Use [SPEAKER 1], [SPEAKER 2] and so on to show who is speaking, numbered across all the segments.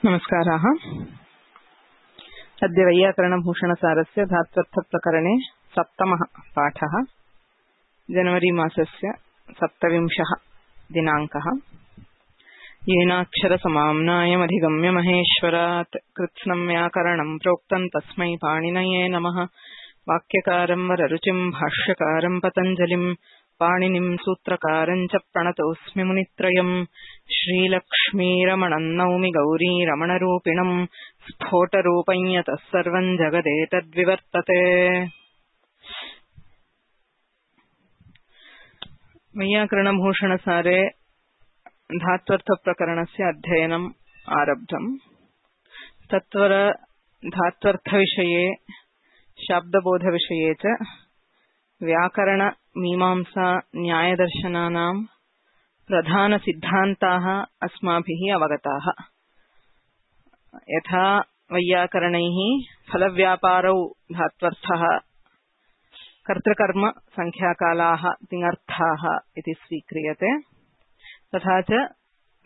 [SPEAKER 1] नमस्काराः। अद्य वैयाकरणभूषणसारस्य धात्वर्थप्रकरणे सप्तमः पाठः। जनवरी मासस्य 27 दिनाङ्कः। येनाक्षरसमाम्नायमधिगम्य महेश्वरात् कृत्स्नं व्याकरणं प्रोक्तं तस्मै पाणिनये नमः। वाक्यकारं वररुचिं भाष्यकारं पतञ्जलिं पाणिनिं सूत्रकारं च प्रणतोऽस्मि मुनित्रयम्। श्रीलक्ष्मीरमणं नौमि गौरीरमणरूपिणं स्फोटरूपं यतः सर्वं जगदेतद्विवर्तते। वैयाकरणभूषणसारे धात्वर्थप्रकरणस्य अध्ययनम् आरब्धम्। तत्वर धात्वर्थविषये शाब्दबोधविषये च व्याकरण मीमांसा न्यायदर्शनानां प्रधानसिद्धान्ताः अस्माभिः अवगताः। यथा वैयाकरणैः फलव्यापारौ धात्वर्थः कर्तृकर्म संख्याकालाः तिङर्थाः इति स्वीक्रियते, तथा च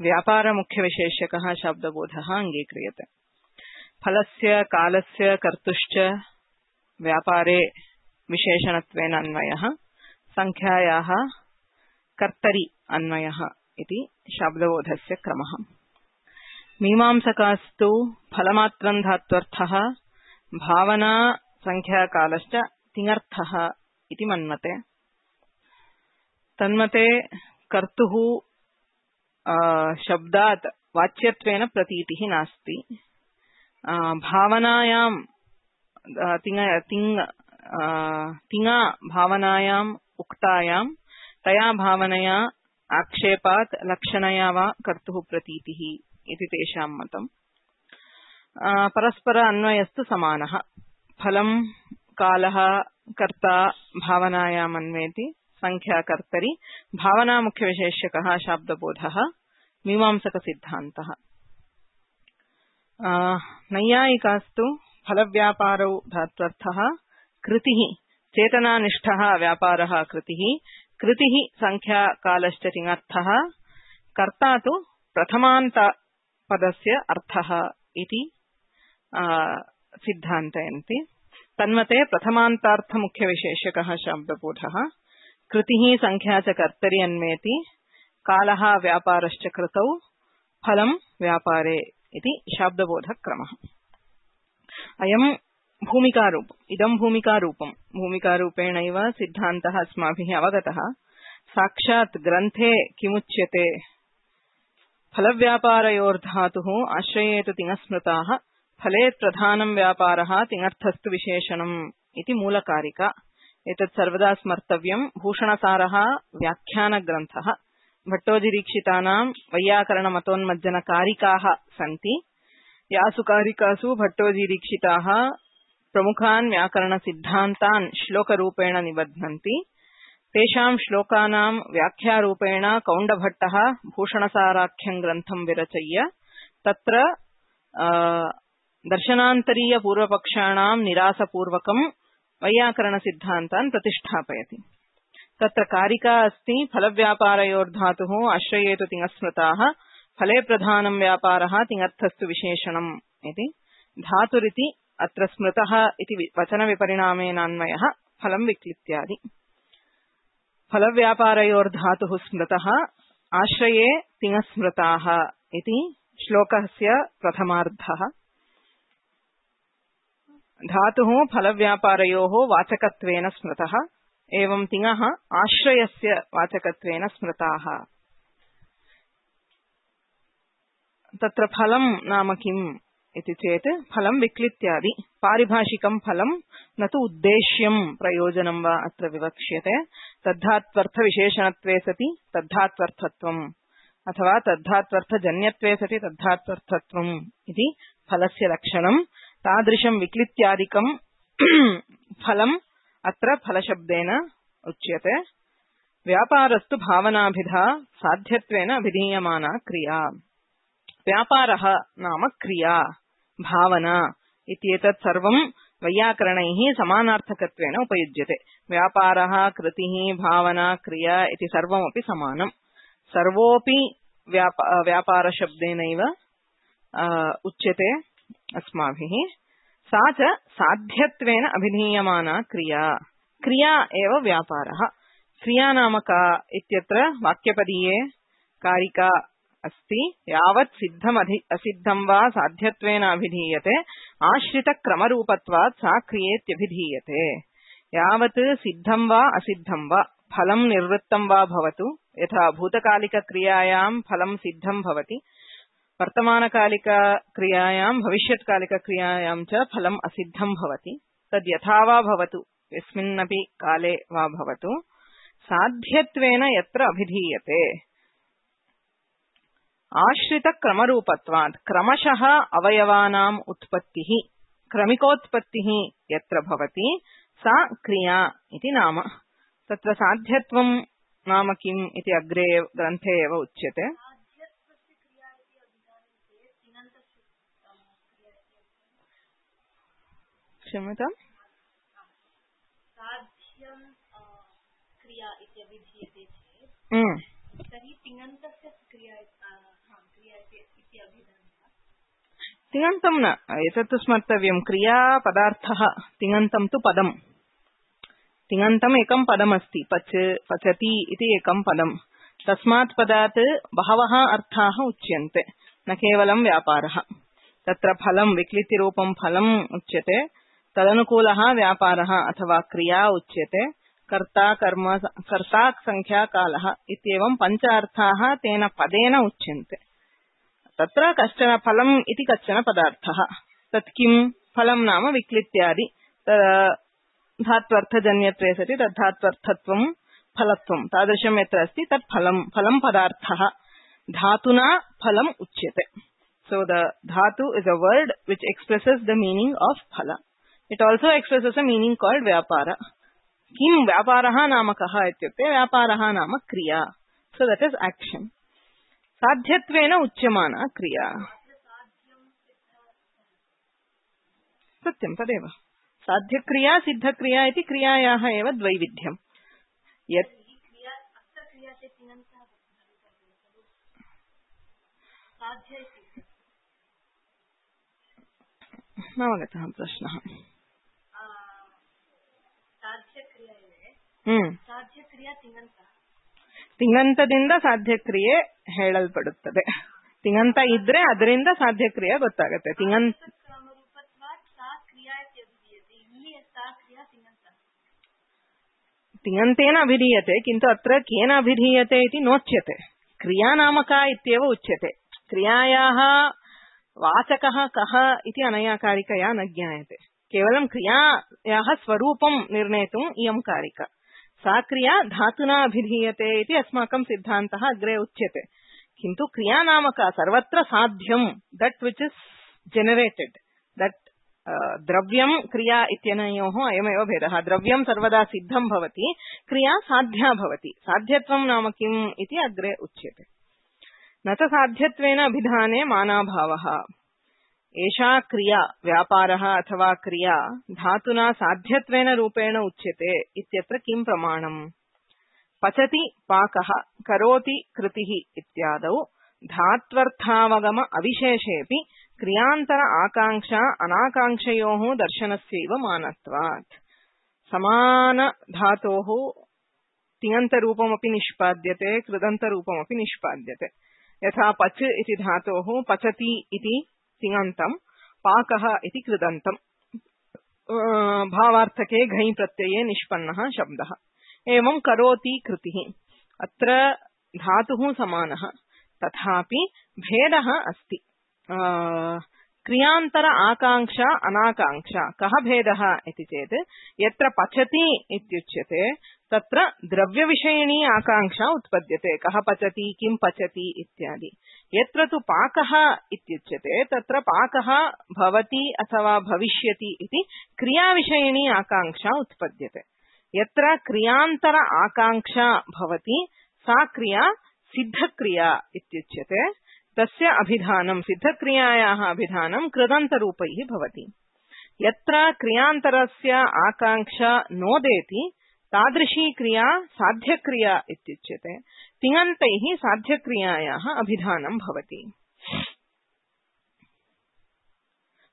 [SPEAKER 1] व्यापारमुख्यविशेष्यकः शाब्दबोधः अङ्गीक्रियते। फलस्य कालस्य कर्तुश्च व्यापारे विशेषणत्वेन अन्वयः, संख्यायाः कर्तरि अन्वयः इति शाब्दबोधस्य क्रमः। मीमांसकास्तु फलमात्रं धात्वर्थः भावना संख्याकालश्च तिङर्थः इति मन्मते। तन्मते कर्तुः शब्दात् वाच्यत्वेन प्रतीतिः नास्ति। भावनायां तिङा भावनायाम् उक्तायां तया भावनया आक्षेपात् लक्षणया वा कर्तुः प्रतीतिः इति तेषां मतम्। परस्पर अन्वयस्तु समानः। फलं कालः कर्ता भावनायाम् अन्वेति, संख्या कर्तरि, भावना मुख्यविशेष्यकः शाब्दबोधः मीमांसकसिद्धान्तः। नैयायिकास्तु फलव्यापारौ धात्वर्थः कृतिः चेतनानिष्ठः व्यापारः कृतिः, कृतिः संख्याकालश्च तिङर्थः, कर्ता तु प्रथमान्तपदस्य अर्थः इति सिद्धान्तयन्ति। तन्मते प्रथमान्तार्थमुख्यविशेष्यकः शाब्दबोधः कृतिः संख्या च कर्तरि अन्वेति, कालः व्यापारश्च कृतौ, फलं व्यापारे इति शाब्दबोधक्रमः। अयं भूमिकारूपम्। इदं भूमिकारूपम्। भूमिकारूपेणैव सिद्धान्तः अस्माभिः अवगतः। साक्षात् ग्रन्थे किमुच्यते? फलव्यापारयोर्धातुः आश्रयेतु तिङस्मृताः, फलेत् प्रधानं व्यापारः तिङर्थस्तु विशेषणम् इति मूलकारिका। एतत् सर्वदा स्मर्तव्यम्। भूषणसारः व्याख्यानग्रन्थः। भट्टोजीदीक्षितानां वैयाकरणमतोन्मज्जनकारिकाः सन्ति। यासु कारिकासु भट्टोजीदीक्षिताः प्रमुखान् व्याकरणसिद्धान्तान् श्लोकरूपेण निबध्नन्ति। तेषां श्लोकानां व्याख्यारूपेण कौण्डभट्टः भूषणसाराख्यं ग्रन्थं विरचय्य तत्र दर्शनान्तरीयपूर्वपक्षाणां निरासपूर्वकं वैयाकरणसिद्धान्तान् प्रतिष्ठापयति। तत्र कारिका अस्ति फलव्यापारयोर्धातुः आश्रयेतु तिङस्मृताः, फले प्रधानं व्यापारः तिङर्थस्तु विशेषणम् इति। धातुरिति अत्र स्मृतः इति वचनविपरिणामेनान्वयः फलं विक्लित्यादि। फलव्यापारयोर्धातुः स्मृतः, आश्रये तिङस्मृताः इति श्लोकस्य प्रथमार्धः। धातुः फलव्यापारयोः वाचकत्वेन स्मृतः, एवं तिङः आश्रयस्य वाचकत्वेन स्मृताः। तत्र फलं नाम किम् इति चेत् फलं विक्लित्यादि। पारिभाषिकं फलं न तु उद्देश्यं प्रयोजनं वा अत्र विवक्ष्यते। तद्धात्वर्थविशेषणत्वे सति तद्धात्वर्थत्वम् अथवा तद्धात्वर्थजन्यत्वे सति तद्धात्वर्थत्वम् इति फलस्य लक्षणं। तादृशं विक्लित्यादिकं फलम् अत्र फलशब्देन उच्यते। व्यापारस्तु भावनाभिधा साध्यत्वेन अभिधीयमाना क्रिया। व्यापारः नाम क्रिया, भावना इत्येतत् सर्वं वैयाकरणैः समानार्थकत्वेन उपयुज्यते। व्यापारः, कृतिः, भावना, क्रिया इति सर्वमपि समानम्। सर्वोऽपि व्यापारशब्देनैव उच्यते अस्माभिः। सा च साध्यत्वेन अभिधीयमाना क्रिया। क्रिया एव व्यापारः। क्रिया नाम का इत्यत्र वाक्यपदीये कारिका अस्ति। यावत् सिद्धम् असिद्धं वा साध्यत्वेन अभिधीयते आश्रितक्रमरूपत्वात् सा क्रियेत्यभिधीयते। यावत् सिद्धं वा असिद्धं वा फलं निर्वृत्तं वा भवतु, यथा भूतकालिकक्रियायां फलं सिद्धं भवति, वर्तमानकालिकक्रियायां भविष्यत्कालिकक्रियायां च फलम् असिद्धं भवति। तद् यथा वा भवतु, यस्मिन्नपि काले वा भवतु, साध्यत्वेन यत्र अभिधीयते आश्रितक्रमरूपत्वात् क्रमशः अवयवानाम् उत्पत्तिः क्रमिकोत्पत्तिः यत्र भवति सा क्रिया इति नाम। तत्र साध्यत्वं नाम किम् इति अग्रे ग्रन्थे एव उच्यते। क्षम्यताम्, तिङन्तं न, एतत् स्मर्तव्यं। क्रियापदार्थः तिङन्तं तु पदम्। तिङन्तम् एकं पदमस्ति, पच पचति इति एकं पदम्। तस्मात् पदात् बहवः अर्थाः उच्यन्ते, न केवलं व्यापारः। तत्र फलं विक्लितिरूपं फलम् उच्यते, तदनुकूलः व्यापारः अथवा क्रिया उच्यते, कर्ता कर्म कर्ता संख्या कालः इत्येवं पञ्च अर्थाः तेन पदेन उच्यन्ते। तत्र कश्चन फलम् इति कश्चन पदार्थः। तत् किं? फलं नाम विक्लित्यादि धात्वर्थजन्यत्वे सति तद्धात्वर्थत्वं फलत्वं तादृशं यत्र अस्ति तत् फलं। फलं पदार्थः। धातुना फलम् उच्यते। So the dhatu is a word which expresses the meaning of phala. It also expresses a meaning called vyapara. Kim vyaparaha nama kaha ityukte vyaparaha nama kriya. So that is action. Sadhyatvena uchyamana kriya. Satyam tadeva. Sadhya kriya siddha kriya iti kriyayaha eva dvaividhyam. Yet नवगतः प्रश्नः। ತಿಂಗಂತದಿಂದ ಸಾಧ್ಯಕ್ರಿಯೆ ಹೇಳಲ್ಪಡುತ್ತದೆ. ತಿಂಗಂತ ಇದ್ರೆ ಅದರಿಂದ ಸಾಧ್ಯಕ್ರಿಯೆ ಗೊತ್ತಾಗುತ್ತೆ. ತಿಂಗಂತೇನ ಅಭಿಧೀಯತೆ किन्तु अत्र केन अभिधीयते इति नोच्यते। क्रिया नाम का इत्येव उच्यते। क्रियायाः वाचकः कः इति अनया कारिकया न ज्ञायते। केवलं क्रियायाः स्वरूपं निर्णेतुम् इयं कारिका। सा क्रिया धातुना अभिधीयते इति अस्माकं सिद्धान्तः अग्रे उच्यते। किन्तु क्रिया नाम का सर्वत्र साध्यं, that which is generated, that द्रव्यं क्रिया इत्यनयोः अयमेव भेदः। द्रव्यं सर्वदा सिद्धं भवति, क्रिया साध्या भवति। साध्यत्वं नाम किम् इति अग्रे उच्यते। न च साध्यत्वेन अभिधाने मानाभावः। एषा क्रिया व्यापारः अथवा क्रिया धातुना साध्यत्वेन रूपेण उच्यते इत्यत्र किं प्रमाणम्? पचति पाकः, करोति कृतिः इत्यादौ धात्वर्थावगम अविशेषेऽपि क्रियान्तर आकांक्षा अनाकांक्षयोः दर्शनस्यैव मानत्वात्। समान धातोः तिङन्तरूपमपि निष्पाद्यते, कृदन्तरूपमपि निष्पाद्यते। यथा पच इति धातोः पचति इति तिङन्तं, पाकः इति कृदन्तं। भावार्थके घञ् प्रत्यये निष्पन्नः शब्दः। एवं करोति कृतिः, अत्र धातुः समानः, तथापि भेदः अस्ति। क्रियान्तर आकांक्षा अनाकांक्षा। कः भेदः इति चेत् यत्र पचति इत्युच्यते तत्र द्रव्यविषयिणी आकांक्षा उत्पद्यते। कः पचति, किं पचति इत्यादि। यत्र तु पाकः इत्युच्यते तत्र पाकः भवति अथवा भविष्यति इति क्रियाविषयिणी आकांक्षा उत्पद्यते। यत्र क्रियान्तर आकांक्षा भवति सा क्रिया सिद्धक्रिया इत्युच्यते। तस्य अभिधानं, सिद्धक्रियायाः अभिधानं कृदन्तरूपैः भवति। यत्र क्रियान्तरस्य आकांक्षा नोदेति तादृशी क्रिया साध्यक्रिया इत्युच्यते। तिङन्तैः साध्यक्रियायाः अभिधानं भवति।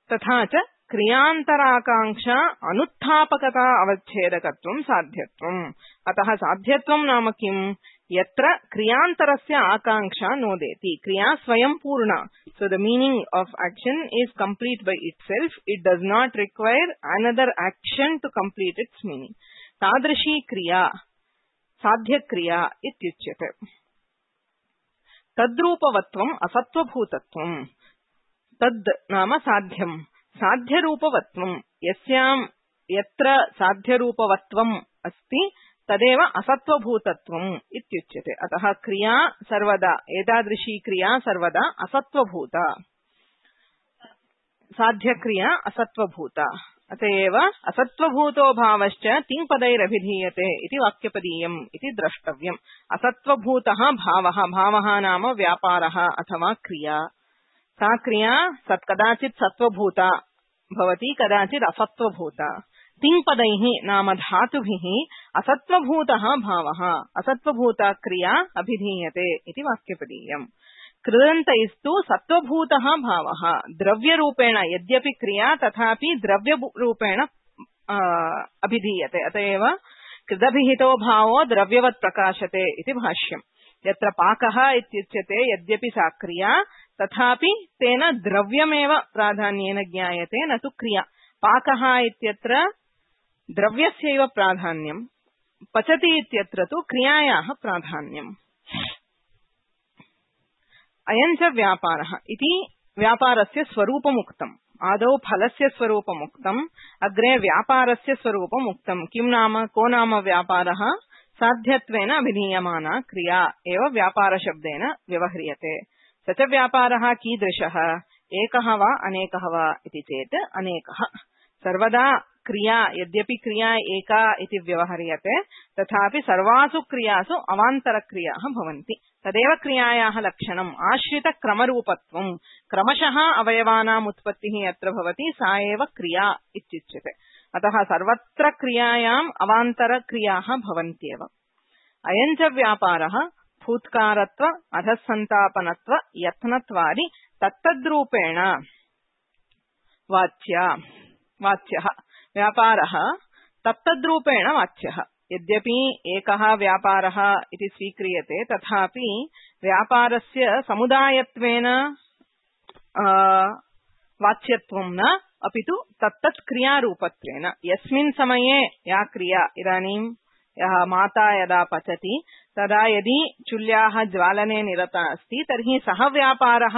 [SPEAKER 1] तथा च क्रियान्तराकांक्षा अनुत्थापकता अवच्छेदकत्वं साध्यत्वम्। अतः साध्यत्वं नाम किम्? यत्र क्रियान्तरस्य आकांक्षा नोदेति, क्रिया स्वयं पूर्णा। So the meaning of action is complete by itself. It does not require another action to complete its meaning. तादृशी क्रिया साध्यक्रिया इत्युच्यते। तद्रूपवत्वम् असत्त्वभूतत्वम्। तद् नाम साध्यम्, साध्यरूपवत्वम्, यत्र साध्यरूपवत्वम् अस्ति तदेव असत्त्वभूतत्वम् इत्युच्यते। अतः क्रिया सर्वदा, एतादृशी क्रिया सर्वदा असत्त्वभूता, साध्यक्रिया असत्त्वभूता। अतएव असत्त्वभूतो भावश्च तिङ्पदैरभिधीयते इति वाक्यपदीयम् इति द्रष्टव्यम्। असत्त्वभूतः भावः, भावः नाम व्यापारः अथवा क्रिया। सा क्रिया कदाचित् सत्त्वभूता भवति, कदाचित् असत्त्वभूता। तिङ्पदैः नाम धातुभिः असत्त्वभूतः भावः, असत्त्वभूता क्रिया अभिधीयते इति वाक्यपदीयम्। कृदन्तैस्तु सत्त्वभूतः भावः द्रव्यरूपेण, यद्यपि क्रिया तथापि द्रव्यरूपेण अभिधीयते। अतएव कृदभिहितो भावो द्रव्यवत् प्रकाशते इति भाष्यम्। यत्र पाकः इत्युच्यते, यद्यपि सा क्रिया तथापि तेन द्रव्यमेव प्राधान्येन ज्ञायते, न तु क्रिया। पाकः इत्यत्र द्रव्यस्यैव प्राधान्यम्, पचति इत्यत्र तु क्रियायाः प्राधान्यम्। अयं च व्यापारः इति व्यापारस्य स्वरूपमुक्तम्। आदौ फलस्य स्वरूपमुक्तम्, अग्रे व्यापारस्य स्वरूपमुक्तम्। किं नाम, को नाम व्यापारः? साध्यत्वेन अभिधीयमाना क्रिया एव व्यापारशब्देन व्यवह्रियते। स च व्यापारः कीदृशः? एकः वा अनेकः वा इति चेत् अनेकः। सर्वदा क्रिया, यद्यपि क्रिया एका इति व्यवह्रियते, तथापि सर्वासु क्रियासु अवान्तरक्रियाः भवन्ति। तदेव क्रियायाः लक्षणम्। आश्रितक्रमरूपत्वम्, क्रमशः अवयवानाम् उत्पत्तिः यत्र भवति सा एव क्रिया इत्युच्यते। अतः सर्वत्र क्रियायाम् अवान्तरक्रियाः भवन्त्येव। अयं च व्यापारः फूत्कारत्व, अधःसन्तापनत्व, यत्नत्वादि तत्तद्रूपेण वाच्यः व्यापारः तत्तद्रूपेण वाच्यः। यद्यपि एकः व्यापारः इति स्वीक्रियते, तथापि व्यापारस्य समुदायत्वेन वाच्यत्वं न, अपितु तत्तत् क्रियारूपत्वेन। यस्मिन् समये या क्रिया, इदानीं यः माता यदा पचति तदा यदि चुल्याः ज्वालने निरता अस्ति तर्हि सः व्यापारः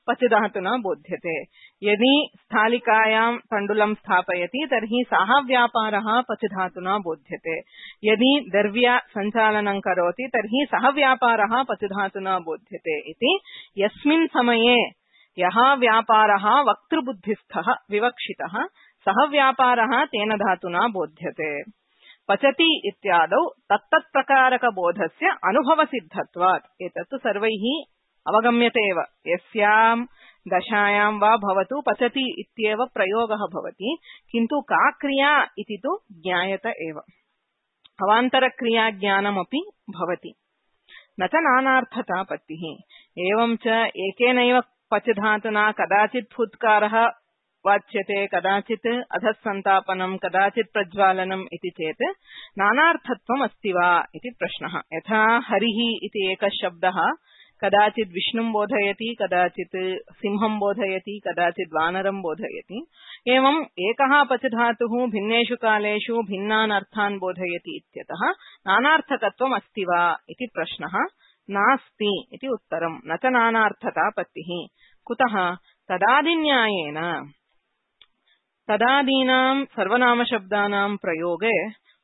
[SPEAKER 1] पचधातुना बोध्यते। यदि स्थालिकायां तण्डुलं स्थापयति तर्हि सः व्यापारः पचधातुना बोध्यते। यदि दर्व्या सञ्चालनं करोति तर्हि सः व्यापारः पचधातुना बोध्यते इति यस्मिन् समये यः व्यापारः वक्तृबुद्धिस्थः विवक्षितः सः व्यापारः तेन धातुना बोध्यते। पचति इत्यादौ तत्तत्प्रकारकबोधस्य अनुभवसिद्धत्वात्। एतत्तु सर्वैः अवगम्यते एव। यस्यां दशायां वा भवतु पचति इत्येव प्रयोगः भवति, किन्तु का क्रिया इति तु ज्ञायत एव। अवान्तरक्रियाज्ञानमपि भवति। न च नानार्थतापत्तिः। एवं च एकेनैव पचधातुना कदाचित् फुत्कारः वाच्यते, कदाचित् अधःसन्तापनं, कदाचित् प्रज्वालनम् इति चेत् नानार्थत्वम् अस्ति वा इति प्रश्नः। यथा हरिः इति एकः शब्दः कदाचित् विष्णुं बोधयति, कदाचित् सिंहं बोधयति, कदाचित् वानरं बोधयति। एवम् एकः पचधातुः भिन्नेषु कालेषु भिन्नान् अर्थान् बोधयति इत्यतः नानार्थकत्वम् अस्ति वा इति प्रश्नः। नास्ति इति उत्तरम्। न च नानार्थतापत्तिः। कुतः? तदादिन्यायेन तदादीनां सर्वनामशब्दानां प्रयोगे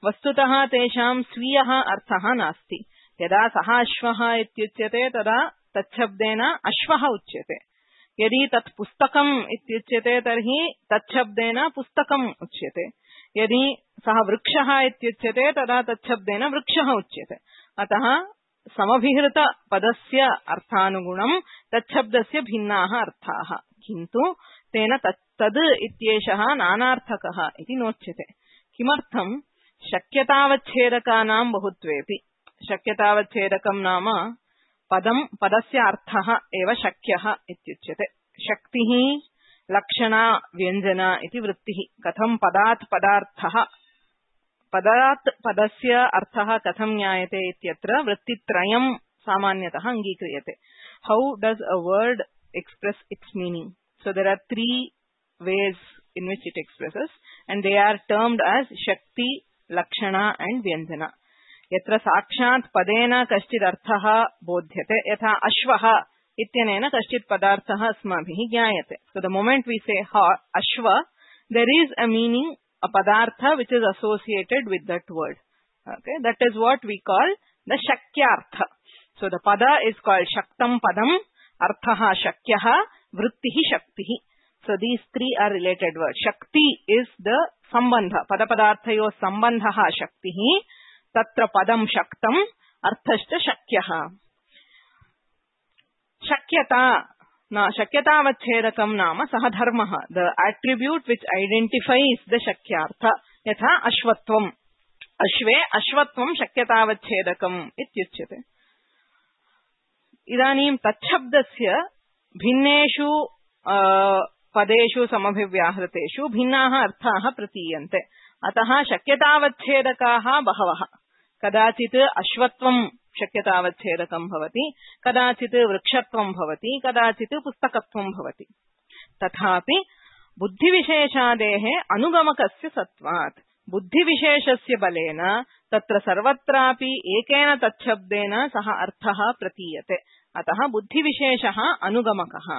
[SPEAKER 1] वस्तुतः तेषां स्वीयः अर्थः नास्ति। यदा सः अश्वः इत्युच्यते तदा तच्छब्देन अश्वः उच्यते। यदि तत् पुस्तकम् इत्युच्यते तर्हि तच्छब्देन पुस्तकम् उच्यते। यदि सः वृक्षः इत्युच्यते तदा तच्छब्देन वृक्षः उच्यते। अतः समभिहृतपदस्य अर्थानुगुणं तच्छब्दस्य भिन्नाः अर्थाः, किन्तु तेन तद् इत्येषः नानार्थकः इति नोच्यते। किमर्थम्? शक्यतावच्छेदकानां बहुत्वेपि। शक्यतावच्छेदकं नाम पदस्य अर्थः एव शक्यः इत्युच्यते। शक्तिः लक्षणा व्यञ्जना इति वृत्तिः कथं पदात् पदार्थः पदात् पदस्य अर्थः कथं ज्ञायते इत्यत्र वृत्तित्रयं सामान्यतः अङ्गीक्रियते. How does a word express its meaning? So there are three ways in which it expresses and they are termed as Shakti, Lakshana and Vyanjana. यत्र साक्षात् पदेन कश्चित् अर्थः बोध्यते यथा अश्वः इत्यनेन कश्चित् पदार्थः अस्माभिः ज्ञायते. So the moment we say ashva, there is a meaning, a padartha which is associated with that word. Okay, that is what we call the shakyartha. So the pada is called shaktam padam, arthaha shakyaha, vrittihi shaktihi. So these three are related words. Shakti is the sambandha, pada padarthayo sambandhaha shaktihi. Tatra padam shaktam arthashcha shakyaha. Shakyata na shakyatavachedakam nama saha dharmaha. The attribute which identifies the shakyartha. Yatha ashvatvam. Ashve ashvatvam shakyatavachedakam ityuchyate. Idanim tachabdasya bhinneshu padeshu samabhivyahrateshu bhinnaha arthaha pratiyante. अतः शक्यतावच्छेदकाः बहवः. कदाचित् अश्वत्वं शक्यतावच्छेदकं भवति, कदाचित् वृक्षत्वं भवति, कदाचित् पुस्तकत्वं भवति. तथापि बुद्धिविशेषादेः अनुगमकस्य सत्वात् बुद्धिविशेषस्य बलेन तत्र सर्वत्रापि एकेन तच्छब्देन सः अर्थः प्रतीयते. अतः बुद्धिविशेषः अनुगमकः.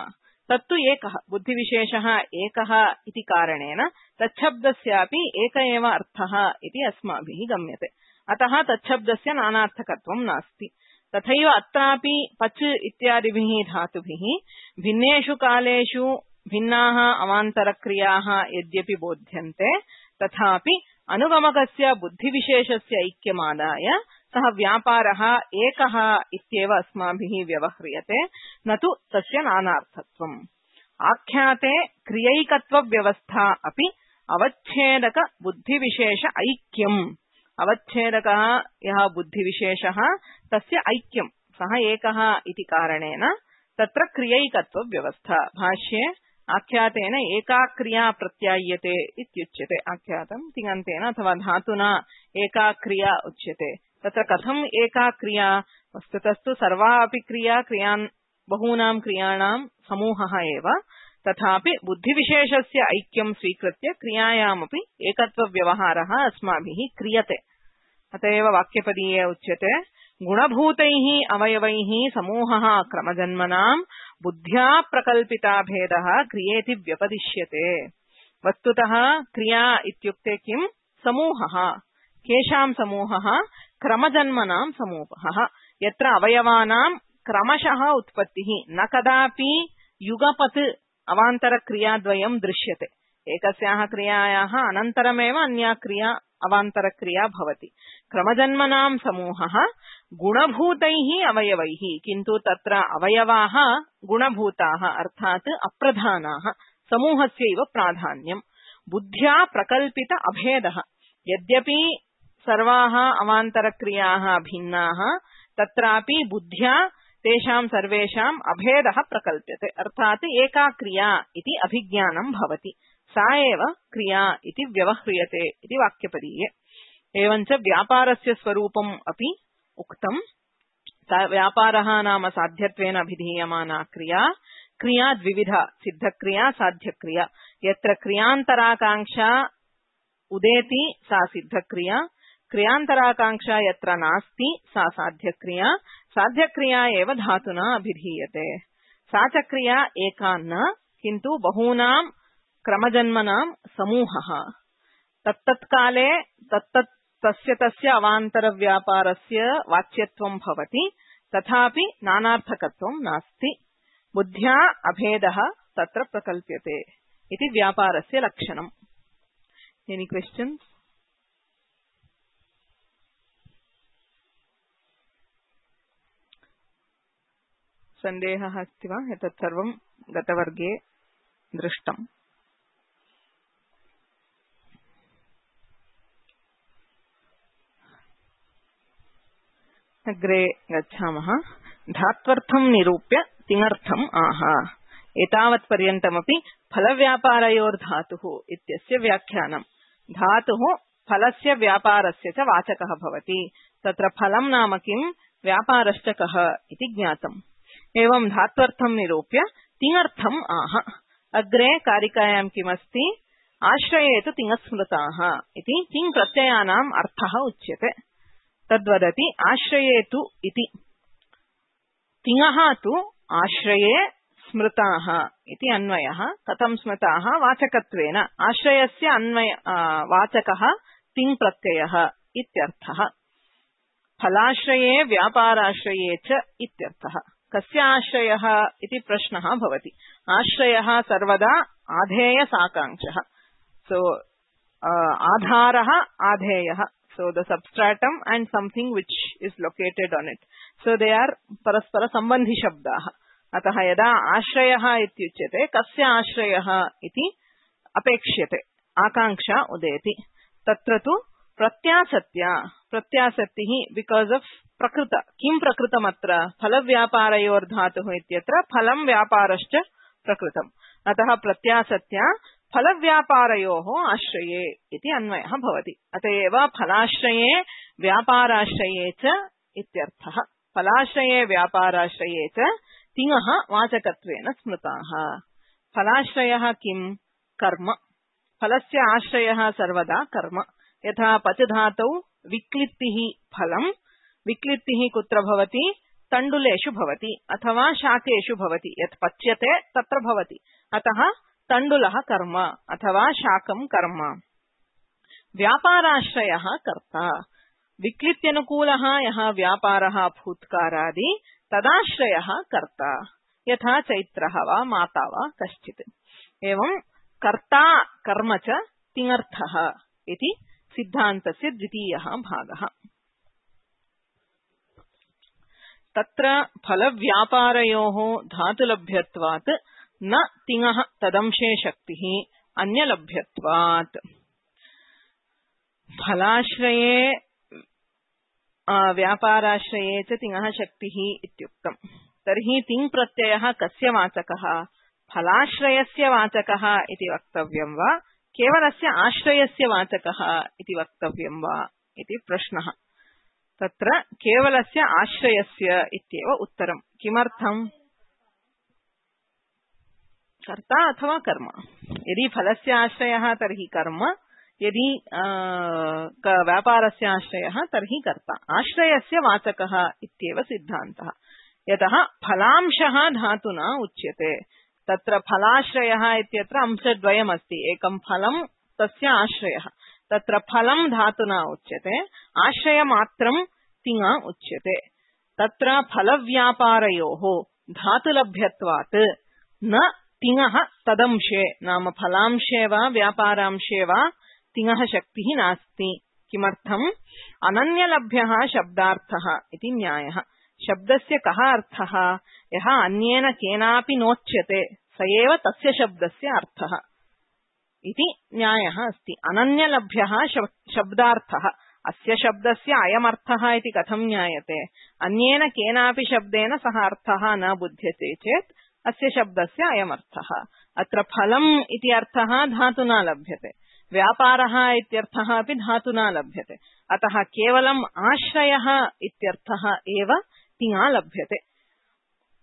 [SPEAKER 1] तत्तु एकः बुद्धिविशेषः एकः इति कारणेन तच्छब्दस्यापि एक एव अर्थः इति अस्माभिः गम्यते. अतः तच्छब्दस्य नानार्थकत्वं नास्ति. तथैव अत्रापि पच् इत्यादिभिः धातुभिः भिन्नेषु कालेषु भिन्नाः अवान्तरक्रियाः यद्यपि बोध्यन्ते तथापि अनुगमकस्य बुद्धिविशेषस्य ऐक्यमादाय सः व्यापारः एकः इत्येव अस्माभिः व्यवह्रियते, न तु तस्य नानार्थत्वम्. आख्याते क्रियैकत्वव्यवस्था अपि अवच्छेदक बुद्धिविशेष ऐक्यम्. अवच्छेदकः यः बुद्धिविशेषः तस्य ऐक्यम्, सः एकः इति कारणेन तत्र क्रियैकत्वव्यवस्था. भाष्ये आख्यातेन एका क्रिया प्रत्याय्यते इत्युच्यते. आख्यातं तिङन्तेन अथवा धातुना एका क्रिया उच्यते. तत्र कथम् एका क्रिया? वस्तुतस्तु सर्वा अपि क्रियान् बहूनां क्रियाणां समूहः एव. तथापि बुद्धिविशेषस्य ऐक्यं स्वीकृत्य क्रियायामपि एकत्वव्यवहारः अस्माभिः क्रियते. अतएव वाक्यपदीये उच्यते गुणभूतैः अवयवैः समूहः क्रमजन्मनां बुद्ध्या प्रकल्पिता भेदः क्रियेति व्यपदिश्यते. वस्तुतः क्रिया इत्युक्ते किं? समूहः. केषां समूहः? क्रमजन्मनां समूहः. यत्र अवयवानां क्रमशः उत्पत्तिः, न कदापि युगपत् अवान्तरक्रियाद्वयं दृश्यते. एकस्याः क्रियायाः अनन्तरमेव अन्या क्रिया अवान्तरक्रिया भवति. क्रमजन्मनां समूहः गुणभूतैः अवयवैः, किन्तु तत्र अवयवाः गुणभूताः अर्थात् अप्रधानाः. समूहस्यैव प्राधान्यम्. बुद्ध्या प्रकल्पित अभेदः. यद्यपि सर्वाः अवान्तरक्रियाः भिन्नाः, तत्रापि बुद्ध्या तेषां सर्वेषाम् अभेदः प्रकल्प्यते. अर्थात् एका क्रिया इति अभिज्ञानं भवति. सा एव क्रिया इति व्यवह्रियते इति वाक्यपदीये. एवञ्च व्यापारस्य स्वरूपम् अपि उक्तम्. व्यापारः नाम साध्यत्वेन अभिधीयमाना क्रिया. क्रिया द्विविधा, सिद्धक्रिया साध्यक्रिया. यत्र क्रियान्तराकाङ्क्षा उदेति सा सिद्धक्रिया, क्रियान्तराकाङ्क्षा यत्र नास्ति सा साध्यक्रिया. साध्यक्रिया एव धातुना अभिधीयते. सा च क्रिया एका न, किन्तु बहूनां क्रमजन्मनां समूहः. तत्तत्काले तस्य अवान्तरव्यापारस्य वाच्यत्वं भवति, तथापि नानार्थकत्वं नास्ति. बुद्ध्या अभेदः तत्र प्रकल्प्यते इति व्यापारस्य लक्षणम्. Any questions? सन्देहः अस्ति वा? एतत् सर्वं गतवर्गे दृष्टम्. अग्रे गच्छामः. धात्वर्थं निरूप्य तिङर्थम् आह. एतावत् पर्यन्तमपि फलव्यापारयोर्धातुः इत्यस्य व्याख्यानम्। धातुः फलस्य व्यापारस्य च वाचकः भवति। तत्र फलं नाम किं, व्यापारश्च कः इति ज्ञातम्। एवं धात्वर्थं निरूप्य तिङर्थम् आह। अग्रे कारिकायां किमस्ति, आश्रये तु तिङस्मृताः इति तिङ् प्रत्ययानाम् अर्थः उच्यते। तद्वदति आश्रये तु इति। तिङः तु आश्रये स्मृताः इति अन्वयः। कथं स्मृताः, वाचकत्वेन। आश्रयस्य अन्वय वाचकः तिङ् प्रत्ययः इत्यर्थः। फलाश्रये व्यापाराश्रये च इत्यर्थः। कस्य आश्रयः इति प्रश्नः भवति। आश्रयः सर्वदा आधेय साकांक्षः। सो आधारः आधेयः, so the substratum and something which is located on it, so they are परस्पर सम्बन्धि शब्दाः। अतः यदा आश्रयः इत्युच्यते कस्य आश्रयः इति अपेक्ष्यते, आकांक्षा उदेति। तत्र तु प्रत्यासत्तिः बिकॉज ऑफ प्रकृत। किं प्रकृतमत्र, फलव्यापारयोर्धातुः इत्यत्र फलं व्यापारश्च प्रकृतम्। अतः प्रत्यासत्या फलव्यापारयोः आश्रये इति अन्वयः भवति। अतएव फलाश्रये व्यापाराश्रये च इत्यर्थः। फलाश्रये व्यापाराश्रये च तिङः वाचकत्वेन स्मृताः। फलाश्रयः किं, कर्म। फलस्य आश्रयः सर्वदा कर्म। यथा पच धातौ विक्लित्तिः फलम्। विक्लित्तिः कुत्र भवति, तण्डुलेषु भवति अथवा शाकेषु भवति। यत् पच्यते तत्र भवति। अतः तण्डुलः कर्म अथवा शाकं कर्म। व्यापाराश्रयः कर्ता। विक्लित्यनुकूलः यः व्यापारः भूत्कारादि तदाश्रयः कर्ता, यथा चैत्रः वा माता वा कश्चित्। एवं कर्ता कर्म च तिङर्थः इति सिद्धान्तस्य द्वितीयः भागः। तत्र फलव्यापारयोः धातुलभ्यत्वात् न तिङः तदंशे शक्तिः अन्यलभ्यत्वात्। फलाश्रये व्यापाराश्रये च तिङः शक्तिः इत्युक्तम्। तर्हि तिङ् प्रत्ययः कस्य वाचकः, फलाश्रयस्य वाचकः इति वक्तव्यं वा केवलस्य आश्रयस्य वाचकः इति वक्तव्यं वा इति प्रश्नः। तत्र केवलस्य आश्रयस्य इत्येव उत्तरम्। किमर्थम्, कर्ता अथवा कर्म। यदि फलस्य आश्रयः तर्हि कर्म, यदि व्यापारस्य आश्रयः तर्हि कर्ता। आश्रयस्य वाचकः इत्येव सिद्धान्तः। यतः फलांशः धातुना उच्यते। तत्र फलाश्रयः इत्यत्र अंशद्वयमस्ति। एकं फलं, तस्य आश्रयः। तत्र फलं धातुना उच्यते, आश्रयमात्रं तिङ उच्यते। तत्र फलव्यापारयोः धातुलभ्यत्वात् न तिङः तदंशे, नाम फलांशे वा व्यापारांशे वा तिङः शक्तिः नास्ति। किमर्थम्, अनन्यलभ्यः शब्दार्थः इति न्यायः। शब्दस्य कः अर्थः, यः अन्येन केनापि नोच्यते स एव तस्य शब्दस्य अर्थः इति न्यायः अस्ति। अनन्यलभ्यः शब्दार्थः, अस्य शब्दस्य अयमर्थः इति कथं ज्ञायते, अन्येन केनापि शब्देन सः अर्थः न बुध्यते चेत् अस्य शब्दस्य अयमर्थः। अत्र फलम् इति अर्थः धातुना लभ्यते, व्यापारः इत्यर्थः अपि धातुना लभ्यते। अतः केवलम् आश्रयः इत्यर्थः एव तिङा लभ्यते।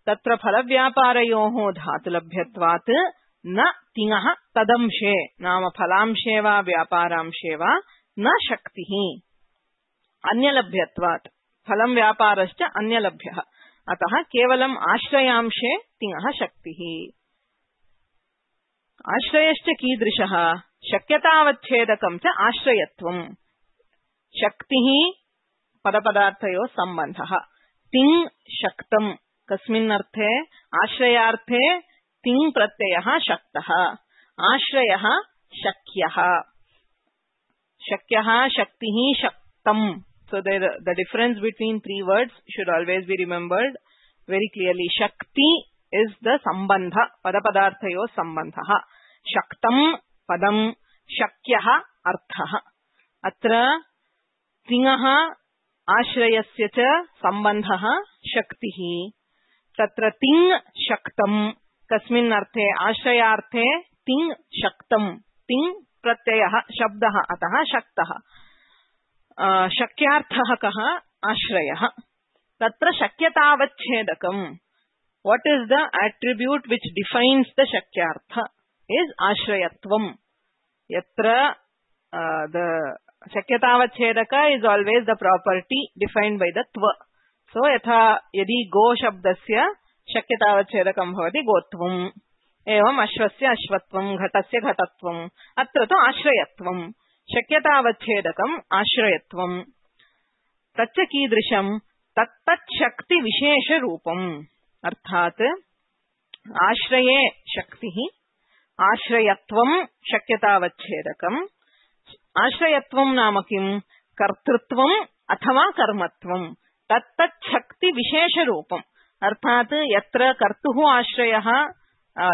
[SPEAKER 1] तत्र फलव्यापारयोः धातुलभ्यत्वात् न तिङः तदंशे, नाम फलांशे वा व्यापारांशे वा न शक्तिः। अन्यलभ्यत्वात्, फलं व्यापारश्च अन्यलभ्यः। अतः केवलम् आश्रयांशे तिङः शक्तिः। आश्रयश्च कीदृशः, शक्यतावच्छेदकं च आश्रयत्वम्। शक्तिः पदपदार्थयोः सम्बन्धः। तिङ् शक्तम्, कस्मिन् अर्थे, आश्रयार्थे तिङ् प्रत्ययः शक्तः, आश्रयः शक्यः। शक्यः, शक्तिः, शक्तम्। So the difference between three words should always be remembered very clearly. Shakti is the sambandha, padapadarthayo sambandha. Shaktam padam, shakyah arthah. Atra tiङः आश्रयस्य च सम्बन्धः शक्तिः। तत्र तिङ् शक्तम्, कस्मिन् अर्थे, आश्रयार्थे तिङ् शक्तम् तिङ् प्रत्ययः शब्दः अतः शक्तः शक्यार्थः कः आश्रयः तत्र शक्यतावच्छेदकम् what is the attribute which defines the shakyartha is ashrayatvam yatra the shakyatavachedaka is always the property defined by the tva so yatha yadi go shabdasya shakyatavachedakam bhavati gotvam evam ashvasya ashvatvam ghatasya ghatatvam atra tu ashrayatvam shakyatavachedakam ashrayatvam taccha kidrisham tat shakti vishesha roopam अर्थात आश्रये शक्तिः आश्रयत्वं शक्यतावच्छेदकम् आश्रयत्वं नाम किं कर्तृत्वम् अथवा कर्मत्वं तत्तत् शक्ति विशेष रूपम् अर्थात यत्र कर्तुः आश्रयः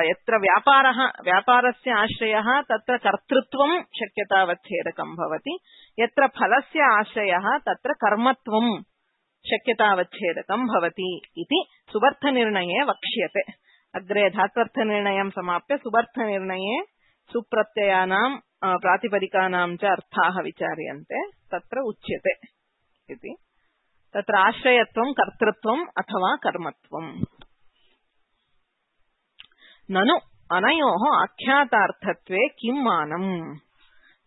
[SPEAKER 1] यत्र व्यापारस्य आश्रयः तत्र कर्तृत्वं शक्यतावच्छेदकं भवति यत्र फलस्य आश्रयः तत्र कर्मत्वं शक्यतावच्छेदकं भवति इति सुबर्थनिर्णये वक्ष्यते अग्रे धात्वर्थनिर्णयं समाप्य सुबर्थनिर्णये सुप्रत्ययानां प्रातिपदिकानां च अर्थाः विचार्यन्ते तत्र उच्यते इति तत्र आश्रयत्वं कर्तृत्वम् अथवा कर्मत्वम् ननु अनयोः आख्यातार्थत्वे किं मानम्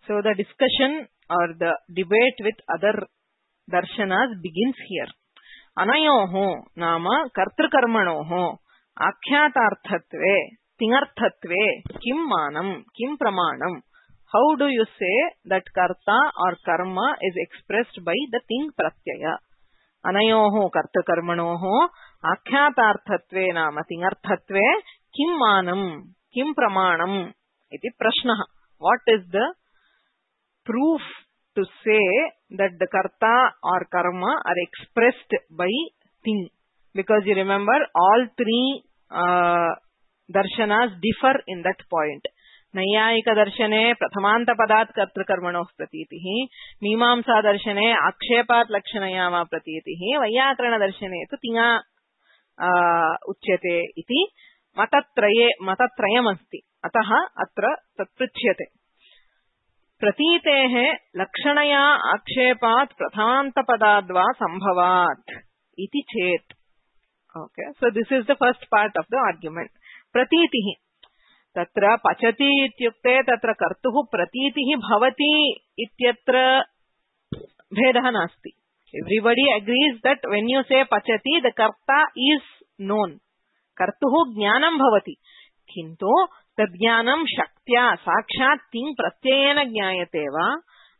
[SPEAKER 1] सो द डिस्कशन और द डिबेट विथ अदर दर्शनास begins here अनयोः नाम कर्तृकर्मणोः आख्यातार्थत्वे तिङर्थत्वे किं मानं किं प्रमाणं how do you say that karta or karma is expressed by the ting pratyaya अनयोः कर्तृकर्मणोः आख्यातार्थत्वे नाम तिङर्थत्वे किं मानं किं प्रमाणम् इति प्रश्नः what is the proof to say that the karta or karma are expressed by ting because you remember all three darshanas differ in that point नैयायिक दर्शने प्रथमान्त पदात् कर्तृकर्मणोः प्रतीतिः मीमांसा दर्शने आक्षेपात् लक्षणया वा प्रतीतिः वैयाकरण दर्शने तु तिङा उच्यते इति मतत्रयमस्ति अतः अत्र तत्पृच्छ्यते प्रतीतेः लक्षणया आक्षेपात् प्रथमान्तपदाद्वा संभवात् इति चेत् okay so this is the first part of the argument प्रतीतिः तत्र पचति इत्युक्ते तत्र कर्तुः प्रतीतिः भवति इत्यत्र भेदः नास्ति everybody agrees that when you से पचति द कर्ता इज नोन कर्तुः ज्ञानं भवति किन्तु तज्ज्ञानं शक्त्या साक्षात् तिङ् प्रत्ययेन ज्ञायते वा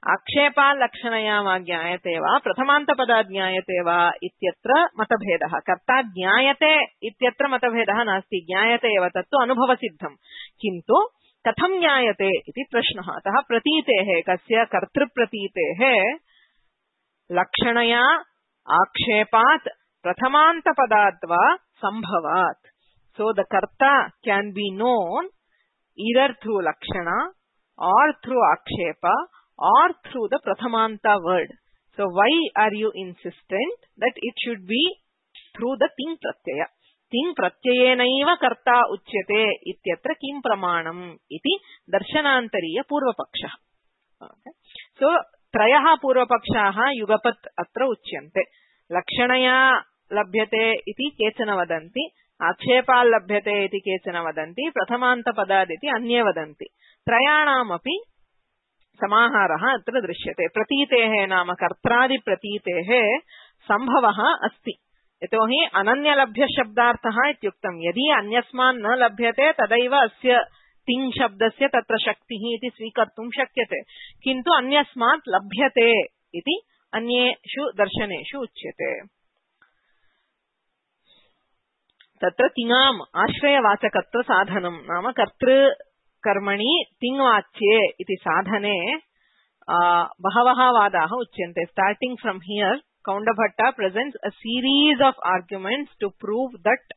[SPEAKER 1] आक्षेपाल्लक्षणया वा ज्ञायते वा प्रथमान्तपदात् ज्ञायते वा इत्यत्र मतभेदः कर्ता ज्ञायते इत्यत्र मतभेदः नास्ति ज्ञायते एव तत्तु अनुभवसिद्धम् किन्तु कथं ज्ञायते इति प्रश्नः अतः प्रतीतेः कस्य कर्तृप्रतीतेः लक्षणया आक्षेपात् प्रथमान्तपदात् वा संभवात् so the karta can be known either through lakshana or through akshepa or through the prathamanta word so why are you insistent that it should be through the ting pratyayena karta uchyate ityatra kim pramanam iti darshanantariya purvapakshah okay so trayah purvapakshah yugapat atra uchyante lakshanaya labhyate iti kechana vadanti आक्षेपाल् लभ्यते इति केचन वदन्ति प्रथमान्तपदात् इति अन्ये वदन्ति त्रयाणामपि समाहारः अत्र दृश्यते प्रतीतेः नाम कर्त्रादिप्रतीतेः सम्भवः अस्ति यतोहि अनन्यलभ्यशब्दार्थः इत्युक्तं यदि अन्यस्मान् न लभ्यते तदैव अस्य तिङ् शब्दस्य तत्र शक्तिः इति स्वीकर्तुं शक्यते किन्तु अन्यस्मात् लभ्यते इति अन्येषु दर्शनेषु उच्यते तत्र तिङाम् आश्रयवाचकत्व साधनं नाम कर्तृकर्मणि तिङ्वाच्ये इति साधने बहवः वादाः उच्यन्ते starting from here Kaundabhatta presents a series of arguments to prove that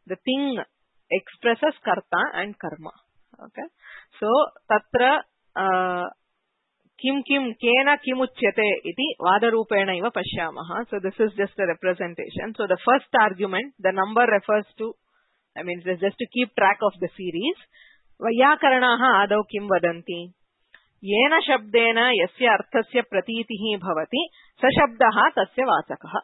[SPEAKER 1] the thing expresses karta and karma okay so तत्र किं किं केन किमुच्यते इति वादरूपेण इव पश्यामः so this is just a representation so the first argument the number refers to I mean just to keep track of the series वैयाकरणाः आदौ किं वदन्ति? येन शब्देन यस्य अर्थस्य प्रतीतिः भवति स शब्दः तस्य वाचकः।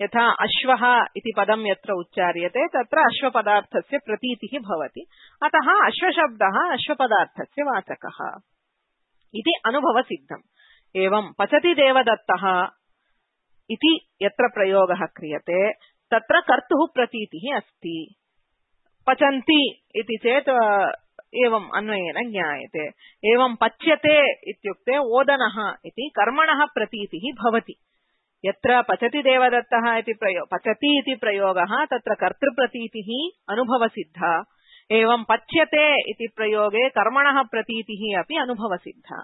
[SPEAKER 1] यथा अश्वः इति पदं यत्र उच्चार्यते तत्र अश्वपदार्थस्य प्रतीतिः भवति, अतः अश्वशब्दः अश्वपदार्थस्य वाचकः इति अनुभवसिद्धम्। एवं पचति देवदत्तः इति यत्र प्रयोगः क्रियते तत्र कर्तुः प्रतीतिः अस्ति। पचन्ति इति चेत् एवम् अन्वयेन ज्ञायते। एवं पच्यते इत्युक्ते ओदनः इति कर्मणः प्रतीतिः भवति। यत्र पचति देवदत्तः इति पचति इति प्रयोगः तत्र कर्तृप्रतीतिः अनुभवसिद्धा। एवं पच्यते इति प्रयोगे कर्मणः प्रतीतिः अपि अनुभवसिद्धा।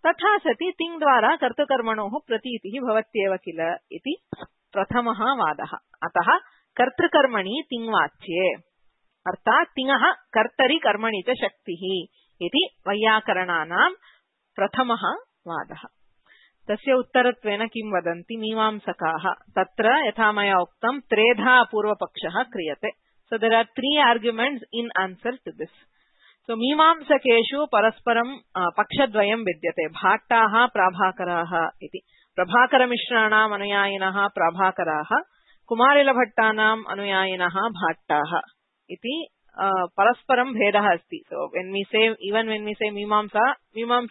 [SPEAKER 1] तथा सति तिङ् द्वारा कर्तृकर्मणोः प्रतीतिः भवत्येव किल इति प्रथमः वादः। अतः कर्तृकर्मणि तिङ्वाच्ये अर्थात् तिङः कर्तरि कर्मणि च शक्तिः इति वैयाकरणानां प्रथमः वादः। तस्य उत्तरत्वेन किं वदन्ति मीमांसकाः? तत्र यथा मया उक्तं त्रेधा पूर्वपक्षः क्रियते। So there are three arguments in answer to this. So मीमांसकेषु परस्परं पक्षद्वयं विद्यते, भाट्टाः प्राभाकराः इति। प्रभाकरमिश्राणाम् अनुयायिनः प्राभाकराः, कुमारिलभट्टानाम् अनुयायिनः भाट्टाः इति परस्परं भेदः अस्ति. So when we say मीमांसा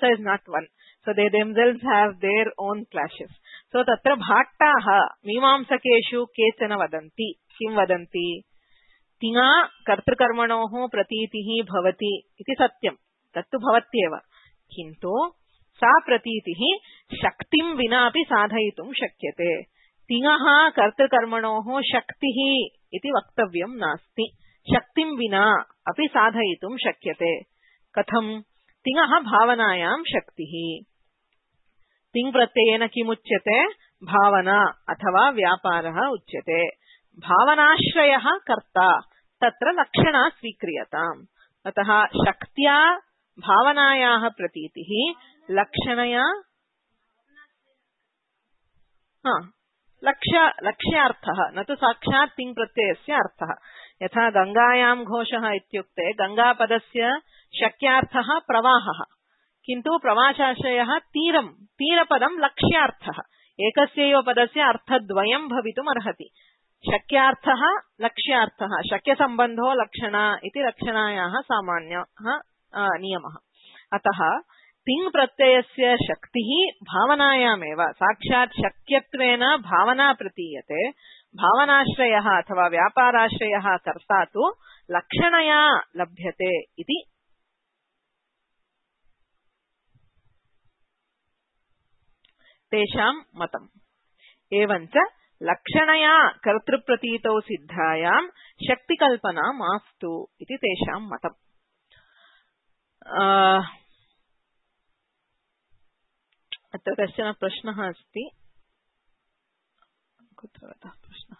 [SPEAKER 1] is not one. So they themselves have their own clashes. So तत्र भाट्टाः मीमांसकेषु केचन वदन्ति, किं वदन्ति? तिङा कर्तृकर्मणोः प्रतीतिः भवति इति सत्यं, तत्तु भवत्येव, किन्तु सा प्रतीतिः शक्तिं विना अपि साधयितुं शक्यते। तिङः कर्तृकर्मणोः शक्तिः इति वक्तव्यं नास्ति, शक्तिं विना अपि साधयितुं शक्यते। कथं? तिङः भावनायां शक्तिः। तिङ् प्रत्ययेन किमुच्यते? भावना अथवा व्यापारः उच्यते। भावनाश्रयः कर्ता, तत्र लक्षणा स्वीक्रियताम्। अतः शक्त्या भावनायाः प्रतीतिः, लक्षणया लक्ष्यार्थः, न तु साक्षात् तिङ् प्रत्ययस्य अर्थः। यथा गङ्गायां घोषः इत्युक्ते गङ्गापदस्य शक्यार्थः प्रवाहः, किन्तु प्रवासाश्रयः तीरं, तीरपदं लक्ष्यार्थः। एकस्यैव पदस्य अर्थद्वयं भवितुम् अर्हति। शक्यार्थः लक्ष्यार्थः, शक्यसम्बन्धो लक्षणा इति लक्षणायाः सामान्यः नियमः। अतः तिङ् प्रत्ययस्य शक्तिः भावनायामेव, साक्षात् शक्यत्वेन भावना प्रतीयते। भावनाश्रयः अथवा व्यापाराश्रयः कर्ता तु लक्षणया लभ्यते इति तेषां मतम्। एवञ्च लक्षणया कर्तृप्रतीतौ सिद्धायां शक्तिकल्पना मास्तु इति तेषां मतम्। अत्र कश्चन प्रश्नः अस्ति, कुत्रतः प्रश्नः?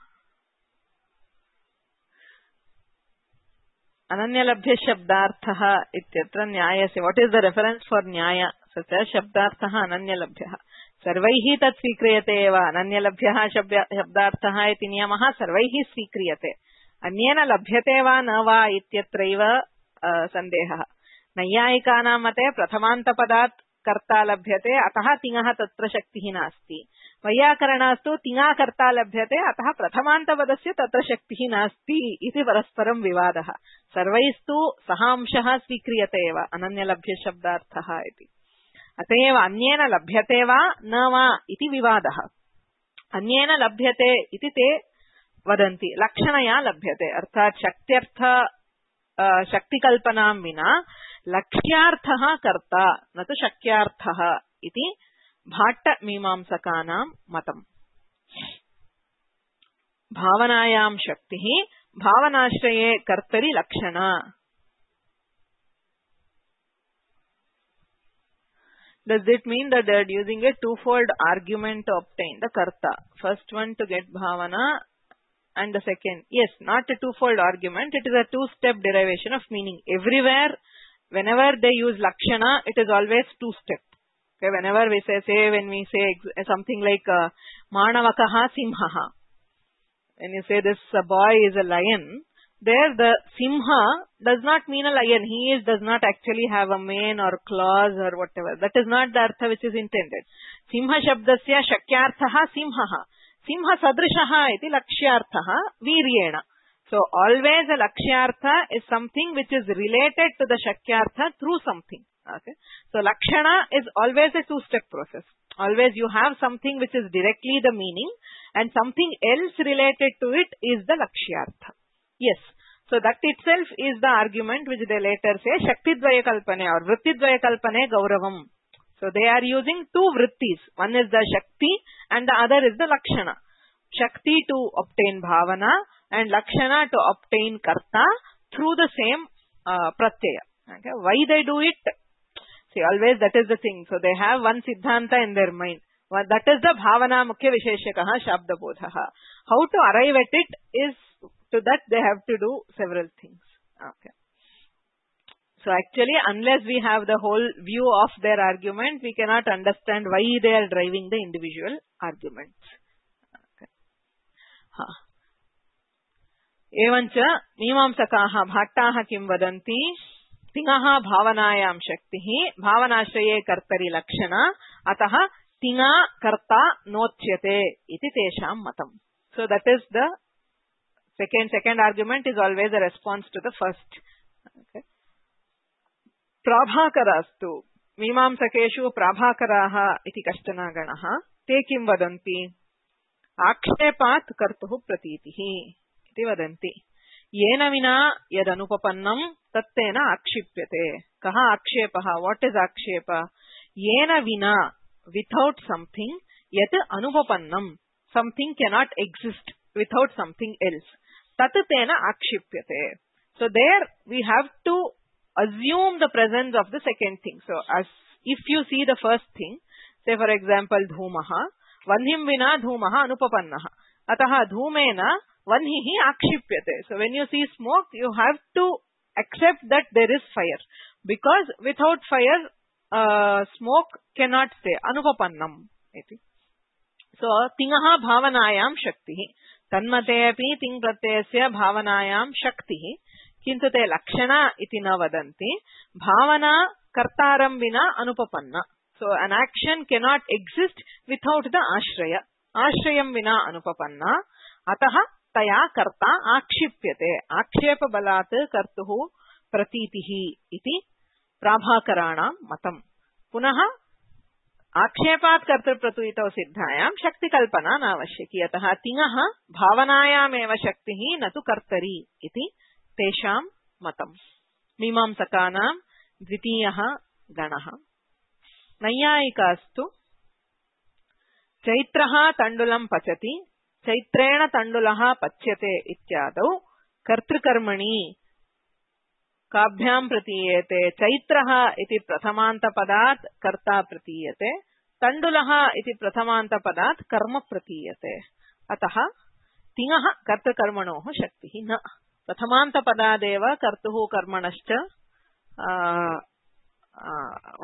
[SPEAKER 1] अनन्यलभ्य शब्दार्थः इत्यत्र न्यायस्य what is the reference for न्याय? सच शब्दार्थः अनन्यलभ्यः, सर्वैः तत् स्वीक्रियते एव। अनन्यलभ्यः शब्दार्थः इति नियमः सर्वैः स्वीक्रियते, अन्येन लभ्यते वा न वा इत्यत्रैव सन्देहः। नैयायिकानां मते प्रथमान्तपदात् कर्ता लभ्यते, अतः तिङः तत्र शक्तिः नास्ति। वैयाकरणास्तु तिङा कर्ता लभ्यते, अतः प्रथमान्तपदस्य तत्र शक्तिः नास्ति इति परस्परं विवादः। सर्वैस्तु सहांशः स्वीक्रियते एव अनन्यलभ्य शब्दार्थः इति। अत एव अन्येन लभ्यते वा न वा इति विवादः। अन्येन लभ्यते इति ते वदन्ति, लक्षणया लभ्यते, अर्थात् शक्त्यर्थ शक्तिकल्पनां विना लक्ष्यार्थः कर्ता न तु शक्यार्थः इति भाट्टमीमांसकानां मतम्। भावनायां शक्तिः, भावनाश्रये कर्तरि लक्षणा। Does it mean that they are using a twofold argument to obtain the karta? First one to get bhavana and the second, yes, not a twofold argument, it is a two-step derivation of meaning. Everywhere, whenever they use lakshana, it is always two-step. Okay, whenever we when we say something like manavakaha simhaha, when you say this boy is a lion, there the simha does not mean a lion. He does not actually have a mane or claws or whatever. That is not the artha which is intended. Simha shabdasya shakyarthaha simhaha. Simha sadrishaha iti lakshyarthaha viryena. So always a lakshyartha is something which is related to the shakyartha through something. Okay. So lakshana is always a two-step process. Always you have something which is directly the meaning and something else related to it is the lakshyartha. Yes. So that itself is the argument which they later say Shaktidvaya Kalpane or Vrittidvaya Kalpane Gauravam. So they are using two vrittis. One is the Shakti and the other is the Lakshana. Shakti to obtain Bhavana and Lakshana to obtain Karta through the same Pratyaya. Okay. Why they do it? See, always that is the thing. So they have one Siddhanta in their mind. Well, that is the Bhavana Mukhya Visheshakaha Shabda Bodhaha. How to arrive at it is, to that they have to do several things. Okay. So actually, unless we have the whole view of their argument, we cannot understand why they are driving the individual arguments. Okay. Evancha Mimamsakaha Bhattaha Kim Vadanti Tingaha Bhavanayam Shaktihi Bhavanashraye Kartari Lakshana Ataha Tinga Karta Notyate Iti Tesham Matam. So that is the second argument is always a response to the first. Okay. Prabhakarastu Mimamsakeshu Prabhakaraha iti kashtana ganaha te kim vadanti akshepat kartuhu pratitihi iti vadanti yena vina yadanupapannam tattena akshipyate. Kaha akshepaha? What is akshepa? Yena vina, without something, yat anupapannam, something cannot exist without something else. Tattena akshipyate. So there we have to assume the presence of the second thing. So as if you see the first thing, say for example dhumaha, vanhim vina dhumaha anupapannaha. Ataha dhumena vanhihi akshipyate. So when you see smoke, you have to accept that there is fire. Because without fire, smoke cannot stay. Anupapannam. So tingaha bhavanayam shaktihi. Tanmate api ting pratyasya bhavanayam shaktihi. Kintu te lakshana iti na vadanti. Bhavana kartaram vina anupapanna. So an action cannot exist without the ashraya. Ashrayam vina anupapanna. Ataha taya karta akshipyate. Akshepa balat kartuhu pratitihi iti prabhakaranam matam. Punaha आक्षेपात् कर्तृप्रतुयितौ सिद्धायां शक्ति कल्पना नावश्यकी. अतः तिङः भावनायामेव शक्तिः न तु कर्तरी इति तेषां मतम्. मीमांसकानां द्वितीयः गणः. नैयायिकास्तु चैत्रः तण्डुलं पचति चैत्रेण तण्डुलः पच्यते इत्यादौ कर्तृकर्मणि काभ्यां प्रतीयते. चैत्रः इति प्रथमान्तपदात् कर्ता प्रतीयते. तण्डुलः इति प्रथमान्तपदात् कर्म प्रतीयते. अतः तिङः कर्तृकर्मणोः शक्तिः न. प्रथमान्तपदादेव कर्तुः कर्मणश्च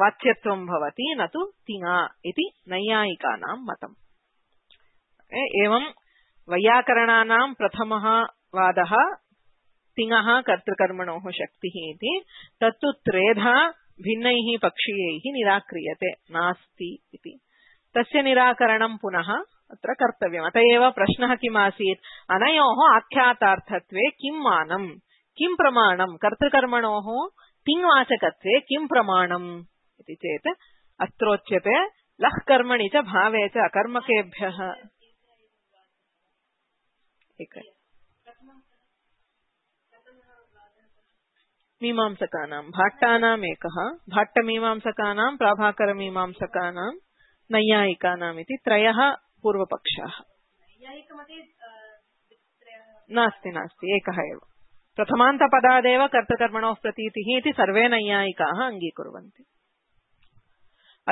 [SPEAKER 1] वाच्यत्वं भवति न तु तिङा इति नैयायिकानां मतम्. एवं वैयाकरणानां प्रथमः वादः तिङः कर्तृकर्मणोः शक्तिः इति. तत्तु त्रेधा भिन्नैः पक्षीयैः निराक्रियते नास्ति इति. तस्य निराकरणं पुनः अत्र कर्तव्यम्. अत एव प्रश्नः किम् आसीत्? अनयोः आख्यातार्थत्वे किं मानम्, किं प्रमाणम्? कर्तृकर्मणोः तिङ्वाचकत्वे किं प्रमाणम् इति चेत् अत्रोच्यते लः कर्मणि च भावे च अकर्मकेभ्यः. मीमांसकानां भाट्टानाम् एकः, भाट्टमीमांसकानां प्राभाकरमीमांसकानां नैयायिकानाम् इति त्रयः पूर्वपक्षाः. नास्ति नास्ति एकः एव. प्रथमान्तपदादेव कर्तृकर्मणोः प्रतीतिः इति सर्वे नैयायिकाः अङ्गीकुर्वन्ति.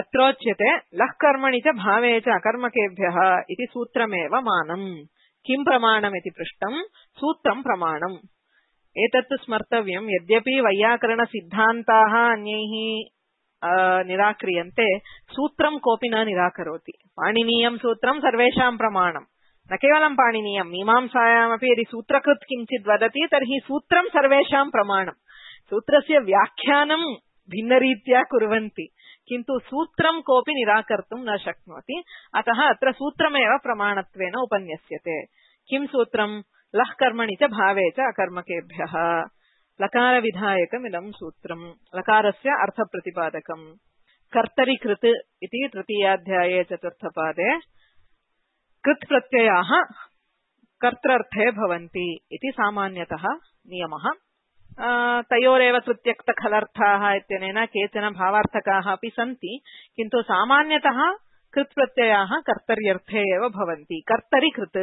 [SPEAKER 1] अत्रोच्यते लः कर्मणि च भावे च अकर्मकेभ्यः इति सूत्रमेव मानम्. किं प्रमाणमिति पृष्टम्. सूत्रं प्रमाणम्. एतत् स्मर्तव्यम्. यद्यपि वैयाकरण सिद्धान्ताः अन्यैः निराक्रियन्ते, सूत्रं कोऽपि न निराकरोति. पाणिनीयं सूत्रं सर्वेषां प्रमाणम्. न केवलं पाणिनीयं मीमांसायामपि यदि सूत्रकृत् किञ्चित् वदति तर्हि सूत्रं सर्वेषां प्रमाणम् सूत्रस्य व्याख्यानं भिन्नरीत्या कुर्वन्ति किन्तु सूत्रं कोऽपि निराकर्तुं न शक्नोति अतः अत्र सूत्रमेव प्रमाणत्वेन उपन्यस्यते किं सूत्रं लः कर्मणि च भावे च अकर्मकेभ्यः लकारविधायकमिदं सूत्रं लकारस्य अर्थप्रतिपादकम् कर्तरि कृत् इति तृतीयाध्याये चतुर्थपादे कृत् प्रत्ययाः कर्त्रर्थे भवन्ति इति सामान्यतः नियमः तयोरेव कृत्यक्तखलर्थाः इत्यनेन केचन भावार्थकाः अपि सन्ति किन्तु सामान्यतः कृत् प्रत्ययाः कर्तर्यर्थे एव भवन्ति कर्तरि कृत्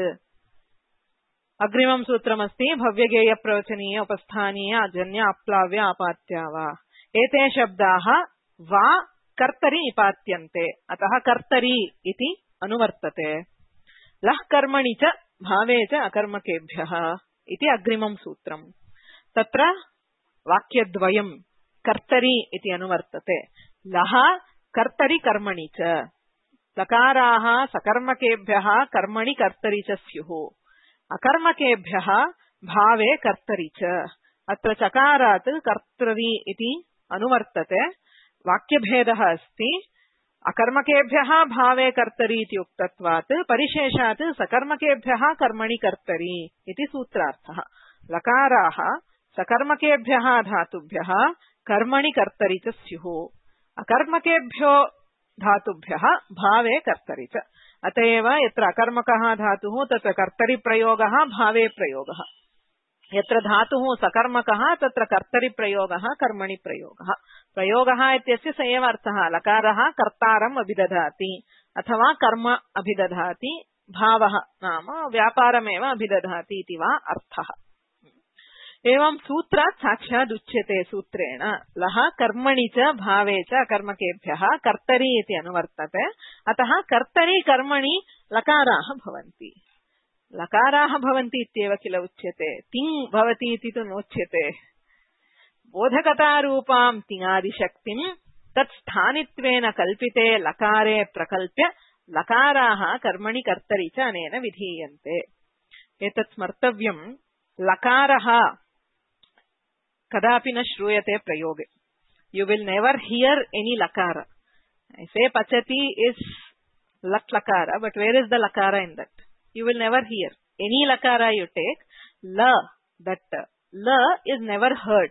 [SPEAKER 1] अग्रिमं सूत्रमस्ति भव्यगेय प्रवचनीय उपस्थानीय अजन्य अप्लाव्य आपात्या वा एते शब्दाः वा कर्तरि निपात्यन्ते अतः कर्तरि इति अनुवर्तते लः कर्मणि च भावे च अकर्मकेभ्यः इति अग्रिमं सूत्रम् तत्र वाक्यद्वयं कर्तरि इति अनुवर्तते लः कर्तरि कर्मणि च लकाराः सकर्मकेभ्यः कर्मणि कर्तरि च स्युः अकर्मकेभ्यः भावे कर्तरि च अत्र चकारात् कर्तरि इति अनुवर्तते वाक्यभेदः अस्ति अकर्मकेभ्यः भावे कर्तरि इति उक्तत्वात् परिशेषात् सकर्मकेभ्यः कर्मणि कर्तरि इति सूत्रार्थः लकाराः सकर्मकेभ्यः धातुभ्यः कर्मणि कर्तरि च स्युः अकर्मकेभ्यो धातुभ्यः भावे कर्तरि च अतएव यत्र अकर्मकः धातुः तत्र कर्तरि प्रयोगः भावे प्रयोगः यत्र धातुः सकर्मकः तत्र कर्तरि प्रयोगः कर्मणि प्रयोगः प्रयोगः इत्यस्य स एव अर्थः लकारः कर्तारम् अभिदधाति अथवा कर्म अभिदधाति भावः नाम व्यापारमेव अभिदधाति इति वा अर्थः एवं सूत्रात् साक्षात् उच्यते सूत्रेण लः कर्मणि च भावे च अकर्मकेभ्यः कर्तरि इति अनुवर्तते अतः कर्तरि कर्मणि लकाराः भवन्ति लकाराः भवन्ति इत्येव किल उच्यते तिङ् भवति इति तु नोच्यते बोधकतारूपां तिङादिशक्तिं तत् स्थानित्वेन कल्पिते लकारे प्रकल्प्य लकाराः कर्मणि कर्तरि च अनेन विधीयन्ते एतत् स्मर्तव्यं लकारः कदापि न श्रूयते प्रयोगे you will never hear any लकार से पचति इज लट् लकार बट वेर इज द लकार in that you will never hear any lakara you take la that la is never heard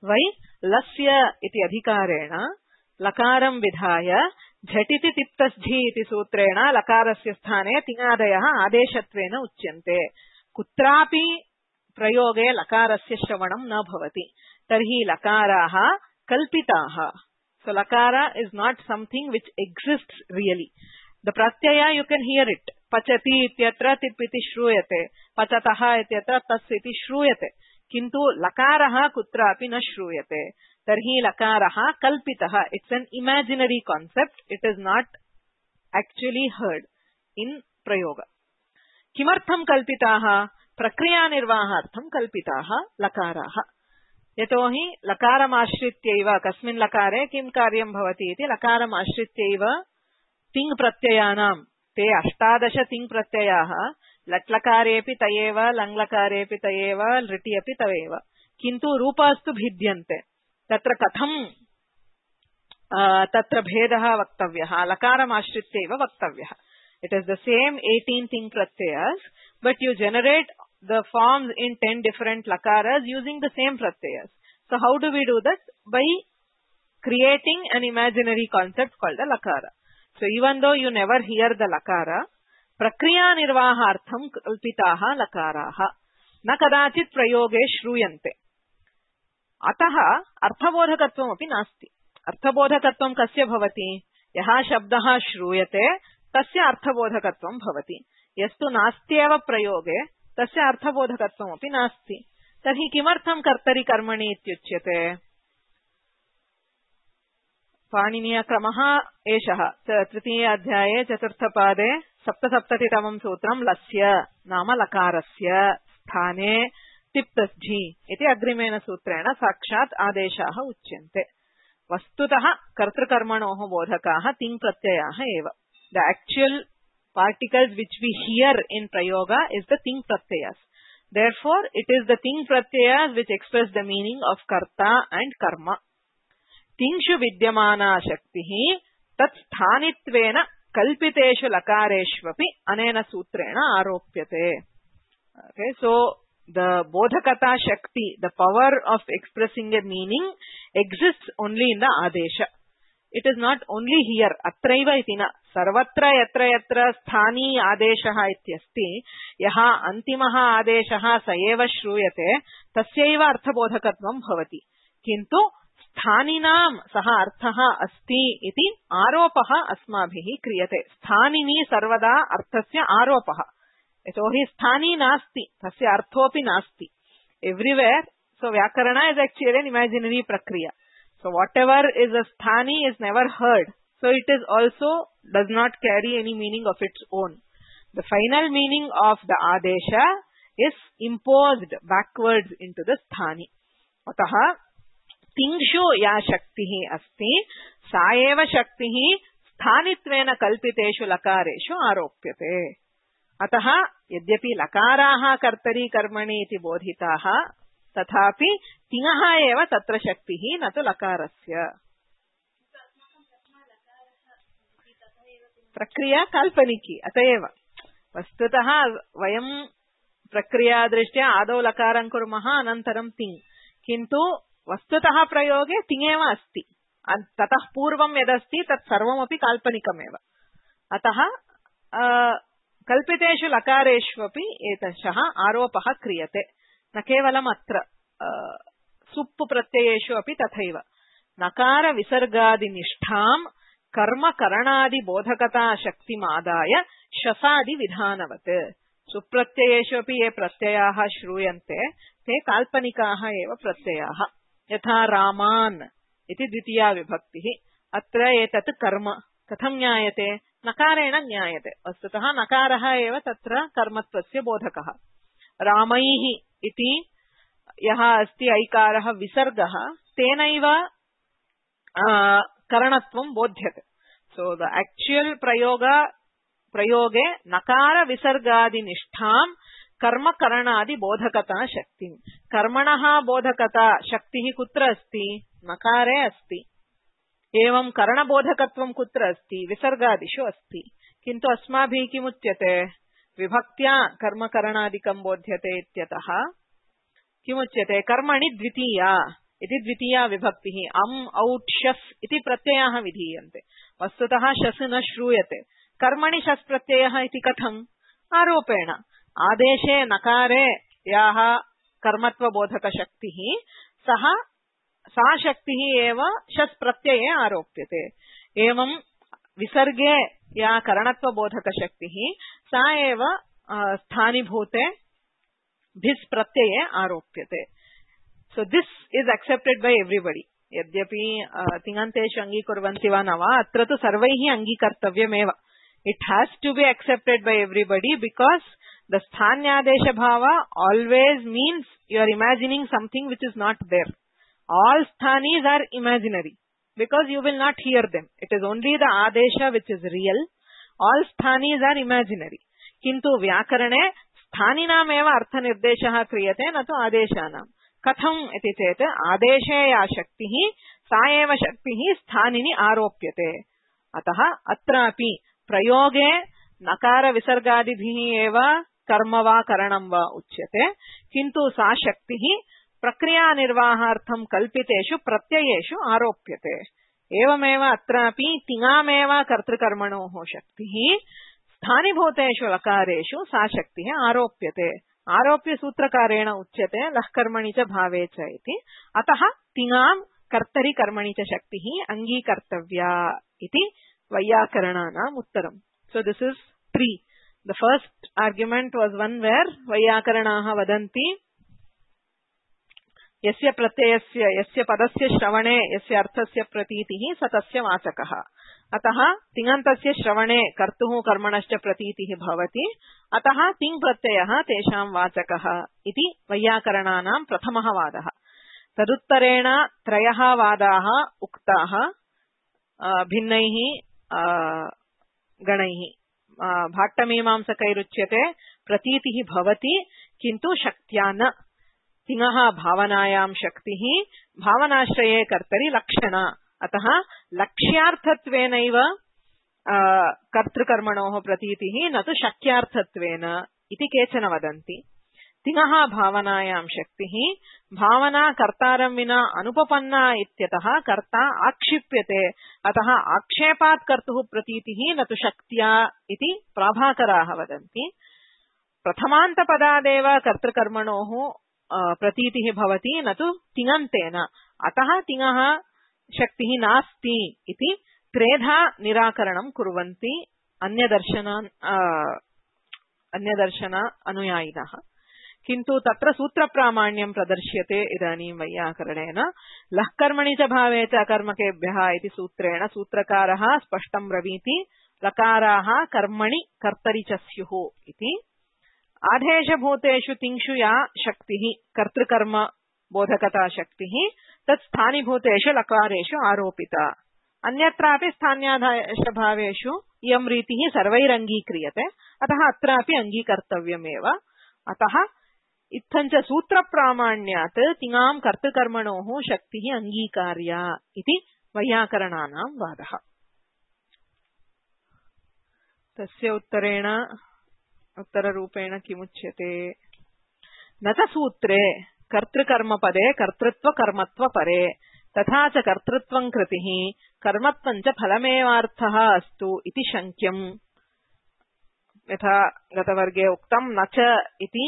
[SPEAKER 1] why lasya iti adhikarena lakaram vidhaya jhatiti tiptasjhi iti sutrena lakarasya sthane tingadayah adeshatvena uchyante kutrapi prayoge lakarasya shravanam na bhavati tarhi lakaraah kalpitaah so lakara is not something which exists really the pratyaya you can hear it पचति इत्यत्र तिप् इति श्रूयते पचतः इत्यत्र तस् इति श्रूयते किन्तु लकारः कुत्रापि न श्रूयते तर्हि लकारः कल्पितः it's an imaginary concept it is not actually heard in प्रयोग किमर्थं कल्पिताः प्रक्रिया निर्वाहार्थं कल्पिताः लकाराः यतोहि लकारमाश्रित्यैव कस्मिन् लकारे किं कार्यं भवति इति लकारमाश्रित्यैव तिङ् प्रत्ययानां ते 18 तिङ् प्रत्ययाः लट्लकारेऽपि तयेव लङ्लकारेऽपि तयेव लृटि अपि तयेव किन्तु रूपास्तु भिद्यन्ते तत्र कथं तत्र भेदः वक्तव्यः लकारमाश्रित्यैव वक्तव्यः it is the same 18 tin प्रत्ययास् but you generate the forms in 10 different lakaras using the same pratyayas so how do we do that by creating an imaginary concept called a lakara so even though you never hear the lakara prakriya nirvahartham kalpitaah lakaraah na kadachit prayoge shruyante atah arthabodhakatvam api nasti arthabodhakatvam kasya bhavati yaha shabdah shruyate tasya arthabodhakatvam bhavati yastu nastyeva prayoge tasya arthabodhakatvam api nasti tarhi kimartham kartari karmani ityuchyate पाणिनीय क्रमः एषः तृतीय अध्याये चतुर्थपादे 77तमं सूत्रं लस्य नाम लकारस्य स्थाने तिप्तस्झि इति अग्रिमेन सूत्रेण साक्षात् आदेशाः उच्यन्ते वस्तुतः कर्तृकर्मणोः बोधकाः तिङ् प्रत्ययाः एव the actual particles which we hear in prayoga is the ting pratyayas. Therefore, it is the ting pratyayas which express the meaning of karta and karma. Tingshu vidyamana shaktihi tat sthanitvena kalpiteshu lakareshvapi anena sutrena aropyate. Okay, so the bodhakata shakti, the power of expressing a meaning, exists only in the adesha. It is not only here. Atraiva itina sarvatra yatra yatra sthani adeshaha ityasti yaha antimaha adeshaha saeva shruyate tasyaiva arthabodhakatvam bhavati. Kintu स्थानिनां सह अर्थः अस्ति इति आरोपः अस्माभिः क्रियते. स्थानिनी सर्वदा अर्थस्य आरोपः. यतोहि स्थानी नास्ति, तस्य अर्थोऽपि नास्ति. Everywhere. So व्याकरण is actually an imaginary prakriya. So whatever is a sthani is never heard. So it is also does not carry any meaning of its own. The final meaning of the adesha is imposed backwards into the sthani. Ataha तिंक्षु या शक्तिः अस्ति सा एव शक्तिः स्थानित्वेन कल्पितेषु लकारेषु आरोप्यते. अतः यद्यपि लकाराः कर्तरी कर्मणि इति बोधिताः तथापि तिङः एव तत्र शक्तिः न तु लकारस्य. प्रक्रिया काल्पनिकी. अतएव वस्तुतः वयं प्रक्रियादृष्ट्या आदौ लकारं कुर्मः अनन्तरं तिङ्. किन्तु वस्तुतः प्रयोगे तिङेव अस्ति. ततः पूर्वं यदस्ति तत् सर्वमपि काल्पनिकमेव. अतः कल्पितेषु लकारेष्वपि एतशः आरोपः क्रियते. न केवलम् अत्र सुप् प्रत्ययेषु अपि तथैव. नकार विसर्गादिनिष्ठां कर्मकरणादि बोधकता शक्तिमादाय शसादि विधानवत्. सुप्रत्ययेषु अपि ये प्रत्ययाः श्रूयन्ते ते काल्पनिकाः एव प्रत्ययाः. यथा रामान् इति द्वितीया विभक्तिः. अत्र एतत् कर्म कथं ज्ञायते? नकारेण ज्ञायते. वस्तुतः नकारः एव तत्र कर्मत्वस्य बोधकः. रामैः इति यः अस्ति ऐकारः विसर्गः तेनैव करणत्वं बोध्यते. सो द एक्चुअल प्रयोगे नकार विसर्गादिनिष्ठां कर्म करणादि बोधकता शक्ति. कर्मणः बोधकता शक्तिः कुत्र अस्ति? नकारे अस्ति. एवं करणबोधकत्वं कुत्र अस्ति? विसर्गादिषु अस्ति. किन्तु अस्माभिः किमुच्यते? विभक्त्या कर्मकरणादिकं बोध्यते इत्यतः किमुच्यते? कर्मणि द्वितीया इति द्वितीया विभक्तिः. अम् औट् शस् इति प्रत्ययाः विधीयन्ते. वस्तुतः शस् न श्रूयते. कर्मणि शस् प्रत्ययः इति कथम्? आरोपेण. आदेशे नकारे याः कर्मत्वबोधकशक्तिः सा शक्तिः एव शस् प्रत्यये आरोप्यते. एवं विसर्गे या करणत्वबोधकशक्तिः सा एव स्थानीभूते भिस् प्रत्यये आरोप्यते. So this is accepted by everybody. यद्यपि तिङन्तेषु अङ्गीकुर्वन्ति वा न वा अत्र तु सर्वैः अङ्गीकर्तव्यमेव. It has to be accepted by everybody because the sthanyadesha bhava always means you are imagining something which is not there. All sthanis are imaginary because you will not hear them. It is only the adesha which is real. All sthanis are imaginary. Kintu vyakarane sthaninam eva artha nirdeshah kriyate na tu adeshanam. Katham iti chete adeshe ya shaktihi sa eva shaktihi sthanini aropyate. Ataha atrapi prayoge nakara visargadibhihi eva कर्म वा करणं वा उच्यते. किन्तु सा शक्तिः प्रक्रिया निर्वाहार्थं कल्पितेषु प्रत्ययेषु आरोप्यते. एवमेव अत्रापि तिङामेव कर्तृकर्मणोः शक्तिः स्थानीभूतेषु लकारेषु सा शक्तिः आरोप्यते. आरोप्य सूत्रकारेण उच्यते लह्कर्मणि च भावे च इति. अतः तिङां कर्तरि कर्मणि च शक्तिः अङ्गीकर्तव्या इति वैयाकरणानाम् उत्तरम्. So this is 3. The first argument was one where Vaiyakaranaha vadanti yasya pratyayasya yasya padasya shravane yasya arthasya pratitihi satasya vachakaha. Ataha tingantasya shravane kartuhu karmanascha pratitihi bhavati. Ataha ting pratyayah tesham vachakaha iti Vaiyakaranaनां प्रथमः वादः. तदुत्तरेण त्रयः वादाः उक्ताः भिन्नैः गणैः. भाट्टमीमांसकैरुच्यते प्रतीतिः भवति किन्तु शक्त्या न तिङः भावनायां शक्तिः भावनाश्रये कर्तरि लक्षण अतः लक्ष्यार्थत्वेनैव कर्तृकर्मणोः प्रतीतिः न तु शक्यार्थत्वेन इति केचन वदन्ति तिङः भावनायां शक्तिः भावना कर्तारं विना अनुपपन्ना इत्यतः कर्ता आक्षिप्यते अतः आक्षेपात् कर्तुः प्रतीतिः न तु शक्त्या इति प्राभाकराः वदन्ति प्रथमान्तपदादेव कर्तृकर्मणोः प्रतीतिः भवति न तु तिङन्तेन अतः तिङः शक्तिः नास्ति इति त्रेधा निराकरणं कुर्वन्ति अन्यदर्शन अनुयायिनः किन्तु तत्र सूत्रप्रामाण्यं प्रदर्श्यते इदानीं वैयाकरणेन लः कर्मणि च भावे च अकर्मकेभ्यः इति सूत्रेण सूत्रकारः स्पष्टं ब्रवीति लकाराः कर्मणि कर्तरि च स्युः इति आदेशभूतेषु तिङ्षु या शक्तिः कर्तृकर्म बोधकता शक्तिः तत् स्थानिभूतेषु लकारेषु आरोपिता अन्यत्रापि स्थान्यादेशभावेषु इयं रीतिः सर्वैरङ्गीक्रियते अतः अत्रापि अङ्गीकर्तव्यमेव अतः इत्थञ्च सूत्रप्रामाण्यात् तिङां कर्तृकर्मणोः शक्तिः अङ्गीकार्या इति वैयाकरणानां वादः तस्य उत्तररूपेण किमुच्यते न च सूत्रे कर्तृकर्मपदे कर्तृत्वकर्मत्वपरे तथा च कर्तृत्वं कृतिः कर्मत्वं च फलमेवार्थः अस्तु इति शङ्क्यम् यथा गतवर्गे उक्तं न च इति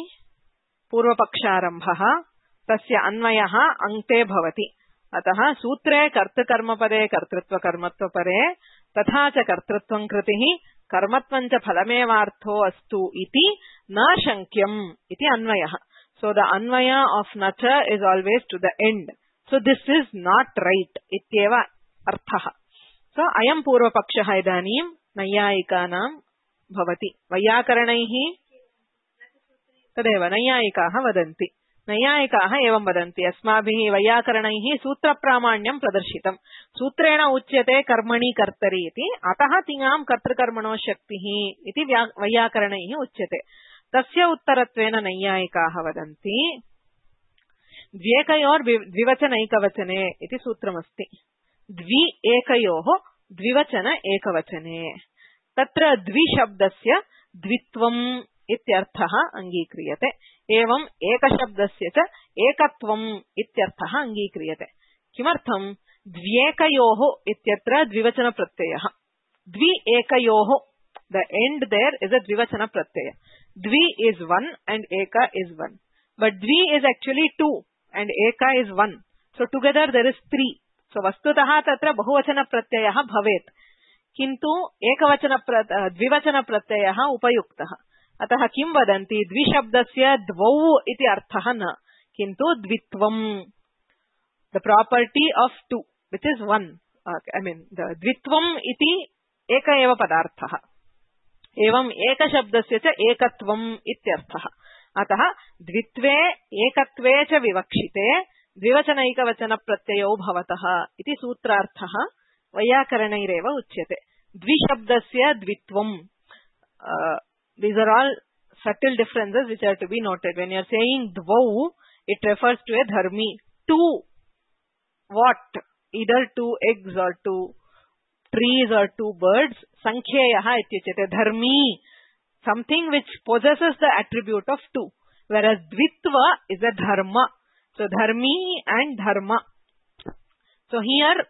[SPEAKER 1] पूर्वपक्षारम्भः तस्य अन्वयः अङ्क्ते भवति अतः सूत्रे कर्तृकर्मपदे कर्तृत्वकर्मत्वपरे तथा च कर्तृत्वं कृतिः कर्मत्वं च फलमेवार्थो अस्तु इति न शङ्क्यम् इति अन्वयः सो द अन्वय ऑफ न च is always to the end so this is not right इत्येव अर्थः सो अयं पूर्वपक्षः इदानीं नैयायिकानां भवति वैयाकरणैः तदेव नैयायिकाः वदन्ति नैयायिकाः एवं वदन्ति अस्माभिः वैयाकरणैः सूत्रप्रामाण्यं प्रदर्शितं सूत्रेण उच्यते कर्मणि कर्तरि इति अतः तिङां कर्तृकर्मणो शक्तिः इति वैयाकरणैः उच्यते तस्य उत्तरत्वेन नैयायिकाः वदन्ति द्व्येकयोर्द्विवचनैकवचने इति सूत्रमस्ति द्वि एकयोः द्विवचन एकवचने तत्र द्विशब्दस्य द्वित्वम् इत्यर्थः अङ्गीक्रियते एवं एकशब्दस्य च एकत्वम् इत्यर्थः अङ्गीक्रियते किमर्थं द्व्येकयोः इत्यत्र द्विवचन प्रत्ययः द्वि एकयोः the end there is a dvivachana pratyaya dvi is one and eka is one but dvi is actually two and eka is one so together there is three so vastutah tatra bahuvachana pratyayah bhavet किन्तु एकवचन द्विवचन प्रत्ययः उपयुक्तः अतः किं वदन्ति द्विशब्दस्य द्वौ इति अर्थः न किन्तु द्वित्वम् the property of two which is one I mean the द्वित्वम् इति एक एव पदार्थः एवं एकशब्दस्य च एकत्वम् इत्यर्थः अतः द्वित्वे एकत्वे च विवक्षिते द्विवचनैकवचन प्रत्ययौ भवतः इति सूत्रार्थः वैयाकरणैरेव उच्यते द्विशब्दस्य द्वित्वम् these are all subtle differences which are to be noted when you are saying dvau it refers to a dharmi two what either two eggs or two trees or two birds sankheyah ityuchyate dharmi something which possesses the attribute of two whereas dvitva is a dharma so dharmi and dharma so here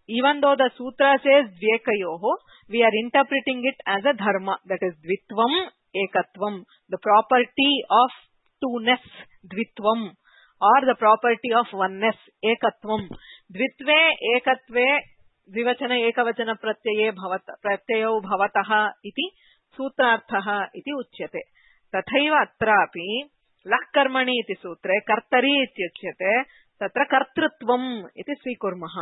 [SPEAKER 1] even though the sutra says dvekayoh we are interpreting it as a dharma that is dvitvam ekatvam the property of two-ness dvitvam or the property of oneness ekatvam dvitve ekatve द्विवचन एकवचन प्रत्यये प्रत्ययौ भवतः इति सूत्रार्थः इति उच्यते तथैव अत्रापि लः कर्मणि इति सूत्रे कर्तरि इत्युच्यते तत्र कर्तृत्वम् इति स्वीकुर्मः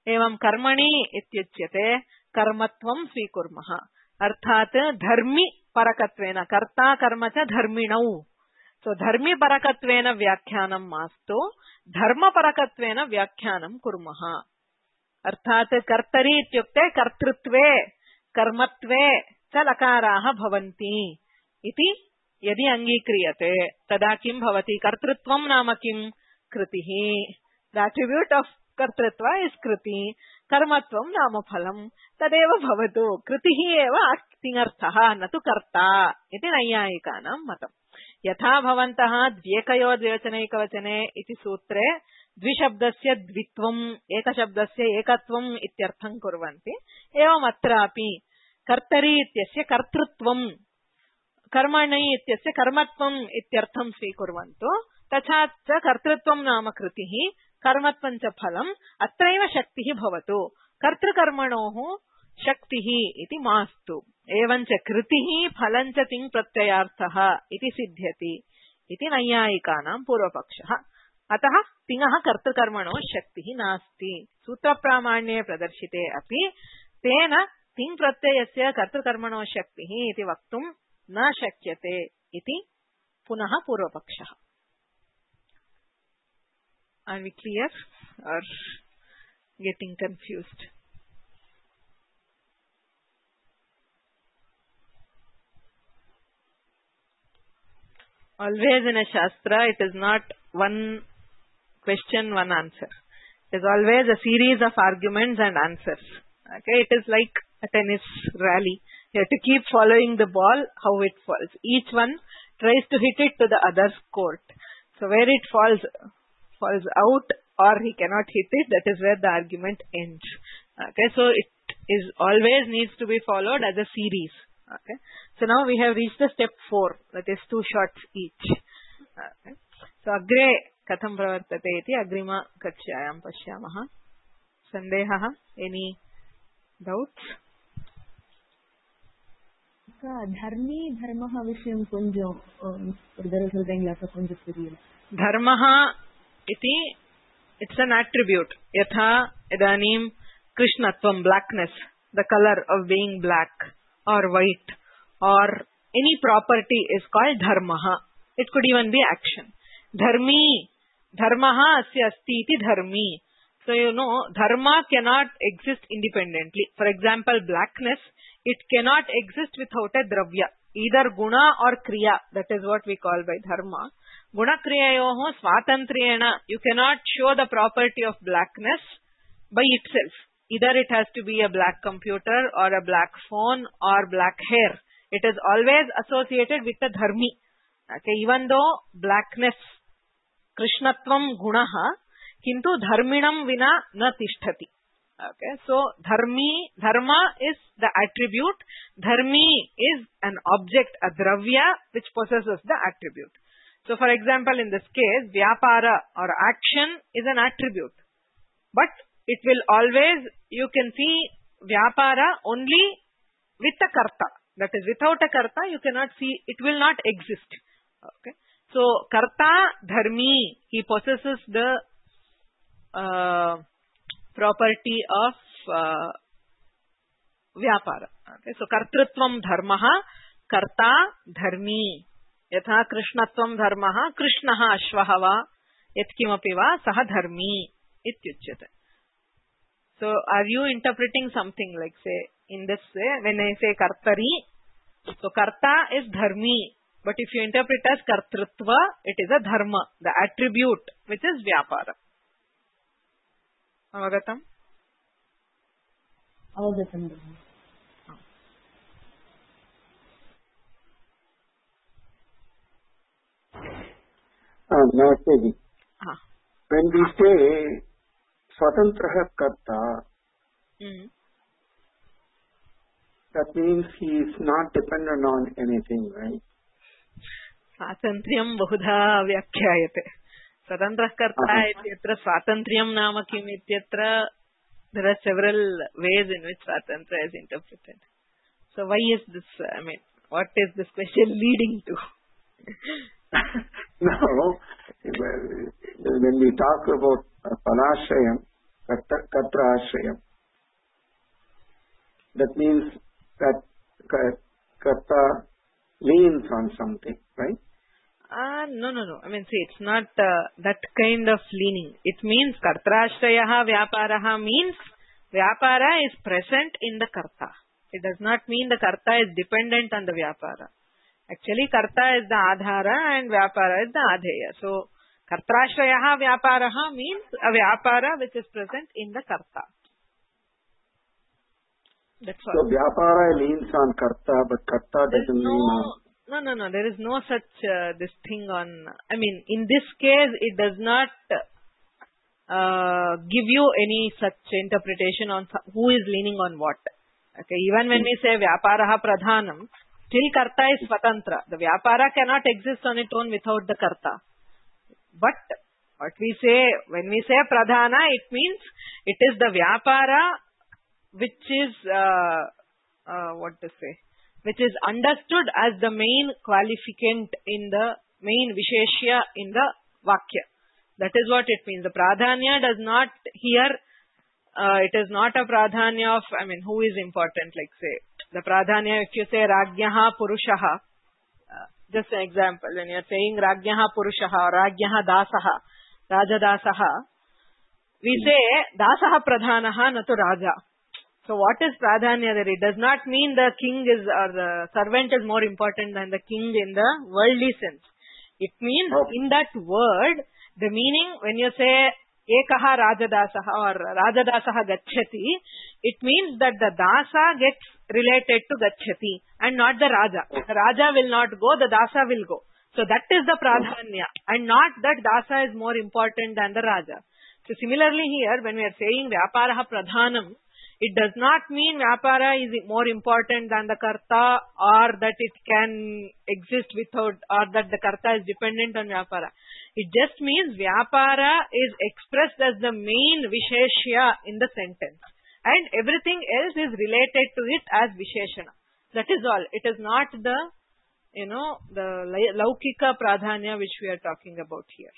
[SPEAKER 1] एवं कर्मणि इत्युच्यते कर्मत्वं स्वीकुर्मः अर्थात् धर्मि परकत्वेन कर्ता कर्म च धर्मिणौ सो धर्मि परकत्वेन व्याख्यानं मास्तु धर्म परकत्वेन व्याख्यानं कुर्मः अर्थात् कर्तरि इत्युक्ते कर्तृत्वे कर्मत्वे च लकाराः भवन्ति इति यदि अङ्गीक्रियते तदा किं भवति? कर्तृत्वं नाम किं? कृतिः. द अट्रिब्यूट ऑफ कर्तृत्व इज कृति. कर्मत्वं नाम फलं. तदेव भवतु. कृतिः एव तिङर्थः न तु कर्ता इति नैयायिकानां मतम्. यथा भवन्तः द्व्येकयो द्विवचनैकवचने इति सूत्रे द्विशब्दस्य द्वित्वम् एकशब्दस्य एकत्वम् इत्यर्थं कुर्वन्ति, एवम् अत्रापि कर्तरि इत्यस्य कर्तृत्वम्, कर्मणि इत्यस्य कर्मत्वम् इत्यर्थं स्वीकुर्वन्तु. तथा च कर्तृत्वं नाम कृतिः, कर्मत्वं च फलम्. अत्रैव शक्तिः भवतु. कर्तृकर्मणोः शक्तिः इति मास्तु. एवञ्च कृतिः फलं च तिङ् प्रत्ययार्थः इति सिद्ध्यति इति नैयायिकानां पूर्वपक्षः. अतः तिङः कर्तृकर्मणोः शक्तिः नास्ति. सूत्रप्रामाण्ये प्रदर्शिते अपि तेन तिङ् प्रत्ययस्य कर्तृकर्मणोः शक्तिः इति वक्तुं न शक्यते इति पुनः पूर्वपक्षः. Are we clear or getting confused? Always in a shastra, it is not one question, one answer. It is always a series of arguments and answers. Okay, it is like a tennis rally. You have to keep following the ball, how it falls. Each one tries to hit it to the other's court. So where it falls out or he cannot hit it, that is where the argument ends. Okay, so it is always needs to be followed as a series. Okay, so now we have reached the step 4, that is 2 shots each. Okay, so agre katham pravartate iti agrima kakshyayam pashyamah. Sandehah? Any doubts?
[SPEAKER 2] धर्मी धर्मः विषयं కొంచెం ఉదరసంగ్లాస కొంచెం తెలియదు.
[SPEAKER 1] धर्मः इति it's an attribute. यथा इदानीं कृष्णत्वं, blackness, the color of being black or white or any property is called dharmaha. It could even be action. Dharmi, dharmaha asya asti iti dharmi. So you know, dharma cannot exist independently. For example, blackness, it cannot exist without a dravya, either guna or kriya. That is what we call by dharma. Guna kriyayoho swatantriyena, you cannot show the property of blackness by itself. Either it has to be a black computer or a black phone or black hair. It is always associated with the dharmi. Okay, even though blackness, krishnatvam gunaha, kintu dharminam vina na tishtati. Okay, so dharma is the attribute. Dharmi is an object, a dravya, which possesses the attribute. So for example, in this case, vyapara or action is an attribute. But it will always, you can see vyapara only with a karta. That is, without a karta, you cannot see, it will not exist. Okay. So, karta dharmi, he possesses the property of vyapara. Okay. So, kartrutvam dharmaha, karta dharmi. Yatha krishnatvam dharmaha, krishnaha ashvaha va, yatkimapi va, saha dharmi, ityuchyate. So, are you interpreting something like, say, in this way, when I say kartari, so karta is dharmi, but if you interpret as kartrutva, it is a dharma, the attribute, which is vyapara. Avagatam?
[SPEAKER 2] Avagatam.
[SPEAKER 3] Namaste. When we say swatantraha karta, that means he is not dependent on anything, right?
[SPEAKER 1] Swatantriyam bahudha vyakhyayate. Swatantrah karta ityatra swatantriyam nama kim ityatra, there are several ways in which swatantra is interpreted. So why is this, I mean, what is this question leading to?
[SPEAKER 3] No, when we talk about panashrayam, katra ashrayam, that means that karta leans on something, right?
[SPEAKER 1] No. I mean, see, it's not that kind of leaning. It means kartrashrayaha vyaparaha means vyapara is present in the karta. It does not mean the karta is dependent on the vyapara. Actually, karta is the adhara and vyapara is the adheya. So, kartrashrayaha vyaparaha means a vyapara which is present in the karta. That's all.
[SPEAKER 3] So, vyapara leans on karta, but karta doesn't lean on...
[SPEAKER 1] No. There is no such this thing on... I mean, in this case, it does not give you any such interpretation on who is leaning on what. Okay, even when we say vyaparaha pradhanam, still karta is swatantra. The vyapara cannot exist on its own without the karta. But what we say, when we say pradhana, it means it is the vyapara which is, which is understood as the main qualificant in the main visheshya in the vakya. That is what it means. The pradhanya does not here, it is not a pradhanya of, I mean, who is important, like say, the pradhanya, if you say rajyaha purushaha, just an example, when you are saying rajyaha purushaha or rajyaha dasaha, rajadasaha, we say dasaha pradhanaha natu raja. So what is pradhanya there? It does not mean the king is, or the servant is more important than the king in the worldly sense. It means in that word, the meaning when you say ekaha rajadasaha or rajadasaha gacchati, it means that the dasa gets related to gacchati and not the raja. The raja will not go, the dasa will go. So that is the pradhanya and not that dasa is more important than the raja. So similarly here, when we are saying vyaparaha pradhanam, it does not mean vyapara is more important than the karta or that it can exist without, or that the karta is dependent on vyapara. It just means vyapara is expressed as the main visheshya in the sentence. And everything else is related to it as visheshana. That is all. It is not the, the laukika pradhanya which we are talking about here.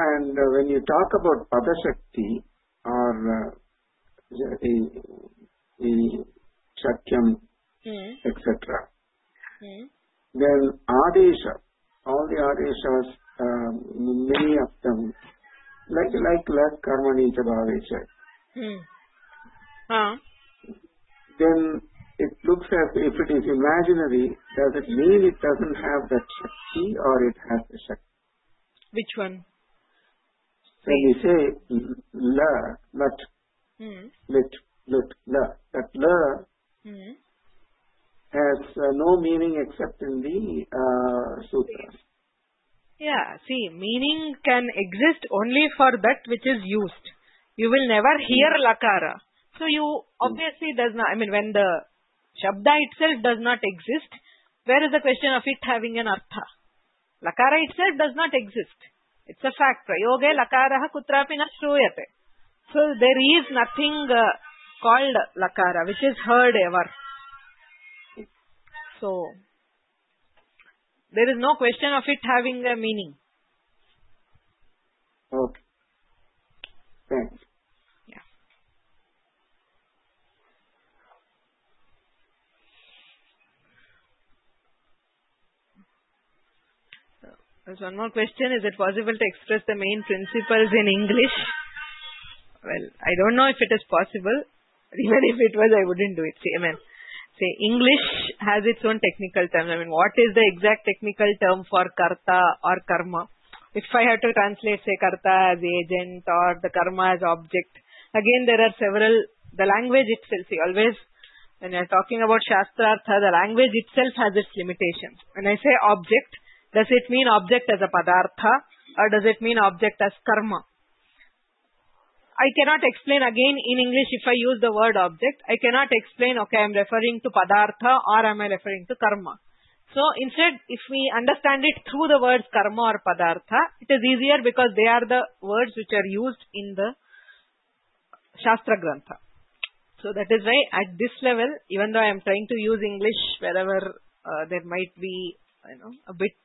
[SPEAKER 3] And when you talk about padashakti or the shakyam, etc., then adesha, all the adeshas, many of them, like karmani chabhavesha, then it looks as if it is imaginary. Does it mean it doesn't have that shakti or it has the shakti?
[SPEAKER 1] Which one?
[SPEAKER 3] When we say la, lat, lit, la, that la has no meaning except in the sutras.
[SPEAKER 1] Yeah, see, meaning can exist only for that which is used. You will never hear lakara. So you obviously does not, I mean, when the shabda itself does not exist, where is the question of it having an artha? Lakara itself does not exist. It's a fact. Prayoge lakaraha kutrapi na shruyate. So there is nothing called lakara which is heard ever. So there is no question of it having a meaning.
[SPEAKER 3] Okay. Thanks.
[SPEAKER 1] Yeah. There's one more question. Is it possible to express the main principles in English? Well, I don't know if it is possible. Even if it was, I wouldn't do it. See, English has its own technical terms. I mean, what is the exact technical term for karta or karma? If I have to translate, say, karta as agent or the karma as object, again, there are several, the language itself, see, always, when you are talking about Shastrartha, the language itself has its limitations. When I say object, does it mean object as a padartha or does it mean object as karma? I cannot explain again in English if I use the word object. I cannot explain, okay, I am referring to padartha or am I referring to karma. So instead, if we understand it through the words karma or padartha, it is easier because they are the words which are used in the Shastra Grantha. So that is why at this level, even though I am trying to use English wherever there might be, a bit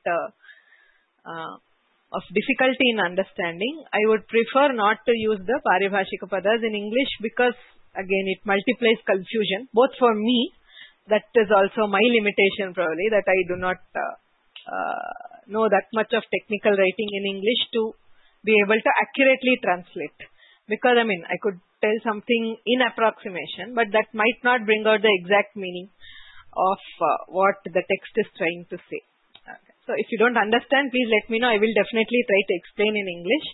[SPEAKER 1] of difficulty in understanding, I would prefer not to use the Paribhashika Padas in English because again it multiplies confusion, both for me, that is also my limitation probably, that I do not know that much of technical writing in English to be able to accurately translate. Because I could tell something in approximation, but that might not bring out the exact meaning of what the text is trying to say. Okay. So if you don't understand, please let me know. I will definitely try to explain in English,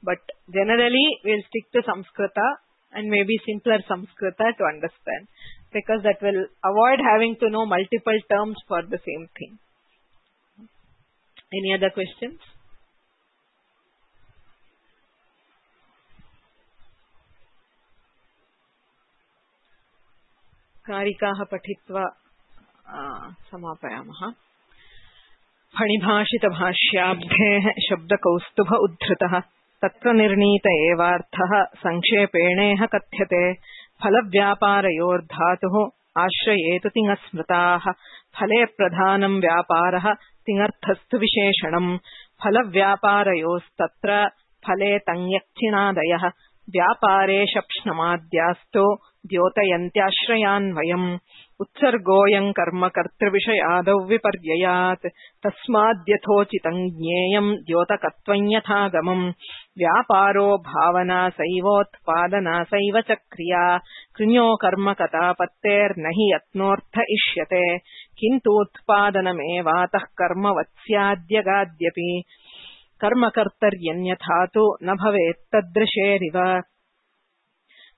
[SPEAKER 1] but generally we'll stick to Samskrita and maybe simpler Samskrita to understand, because that will avoid having to know multiple terms for the same thing. Any other questions? कारिकाः पठित्वा समापयामः. फणिभाषितभाष्याब्धेः शब्दकौस्तुभ उद्धृतः तत्र निर्णीत एवार्थः संक्षेपेणेह कथ्यते. फलव्यापारयोर्धातुः आश्रयेतु तिङस्मृताः. फले प्रधानं व्यापारः तिङर्थस्तु विशेषणम्. फलव्यापारयोस्तत्र फले तञ्यक्चिणादयः. व्यापारे शप्ष्णमाद्यास्तो द्योतयन्त्याश्रयान्वयम्. उत्सर्गोऽयं कर्म कर्तृविषयादौ विपर्ययात्. तस्माद्यथोचितं ज्ञेयं द्योतकत्वं यथागमम्. व्यापारो भावना सैवोत्पादना सैव च क्रिया. कृञो कर्म कथापत्तेर्न हि यत्नोऽर्थ इष्यते. किन्तूत्पादनमेवातः कर्मवत् स्याद्यगाद्यपि. कर्मकर्तर्यन्यथा तु न भवेत्तदृशेरिव.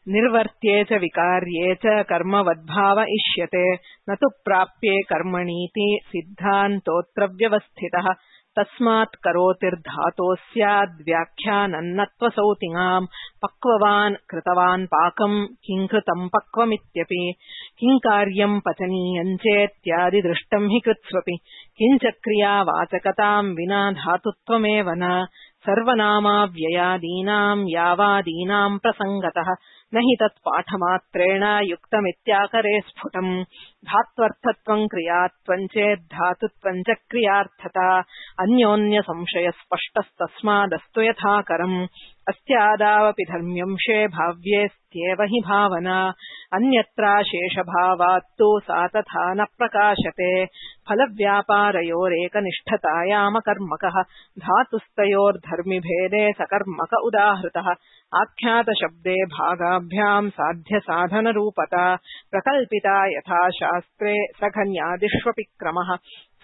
[SPEAKER 1] निर्वर्त्ये च विकार्ये च कर्मवद्भाव इष्यते. न तु प्राप्ये कर्मणीति सिद्धान्तोऽत्र व्यवस्थितः. तस्मात् करोतिर्धातोः स्याद्व्याख्यानन्नत्वसौ तिङाम्. पक्ववान् कृतवान् पाकम् किं कृतं पक्वमित्यपि. किं कार्यं पचनीयं चेत्यादि दृष्टं हि कृत्स्वपि. किञ्च क्रियावाचकतां विना धातुत्वमेव न. सर्वनामाव्ययादीनां यावादीनां प्रसङ्गतः. न हि तत्पाठमात्रेण युक्तमित्याकरे स्फुटम्. धात्वर्थत्वं क्रियात्वं चेद्धातुत्वं च क्रियार्थता. अन्योन्यसंशयस्पष्टस्तस्मादस्तु यथाकरम्. अस्यादावपि धर्म्यंशे भाव्येस्त्येव हि भावना. अन्यत्राशेषभावात्तु सा तथा न प्रकाशते. फलव्यापारयोरेकनिष्ठतायामकर्मकः. धातुस्तयोर्धर्मिभेदे सकर्मक उदाहृतः. आख्यातशब्दे भागाभ्यां साध्यसाधनरूपता. प्रकल्पिता यथा शास्त्रे सघन्यादिष्वपि क्रमः.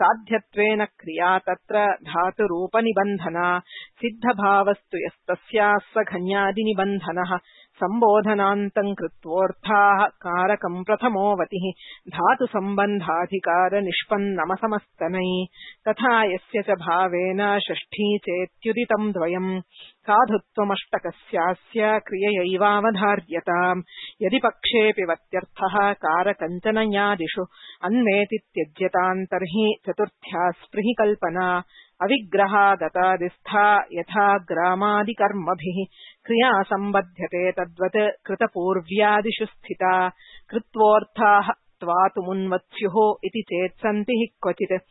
[SPEAKER 1] साध्यत्वेन क्रिया तत्र धातुरूपनिबन्धना. सिद्धभावस्तु यस्तस्याः सघन्यादिनिबन्धनः. सम्बोधनान्तं कृत्वोऽर्थाः कारकं प्रथमोऽवतिः. धातुसम्बन्धाधिकारनिष्पन्नमसमस्तनै. तथा यस्य च भावेन षष्ठी चेत्युदितं द्वयम्. साधुत्वमष्टकस्यास्य क्रिययैवावधार्यताम्. यदि पक्षेऽपि वत्यर्थः कारकञ्चनयादिषु अन्वेति त्यज्यताम् तर्हि चतुर्थ्या स्पृहि कल्पना. अविग्रहागतादिस्था यथा ग्रामादिकर्मभिः. क्रिया सम्बध्यते तद्वत् कृतपूर्व्यादिषु स्थिता. कृत्वोऽर्थाः त्वातुमुन्वत्स्युः इति चेत् सन्ति हि क्वचित्.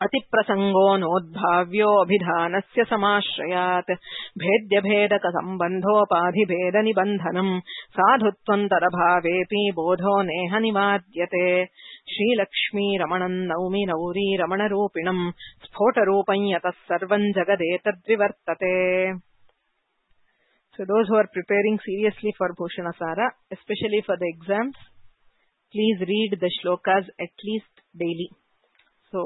[SPEAKER 1] अतिप्रसङ्गो नोद्भाव्योऽभिधानस्य समाश्रयात्. भेद्यभेदकसम्बन्धोपाधिभेदनिबन्धनम्. साधुत्वन्तरभावेऽपि बोधो नेह निवाद्यते. श्रीलक्ष्मीरमणम् नौमि नौरीरमणरूपिणम्. स्फोटरूपं यतः सर्वम् जगदेतद्विवर्तते. So those who are preparing seriously for Bhushanasara, especially for the exams, please read the shlokas at least daily. So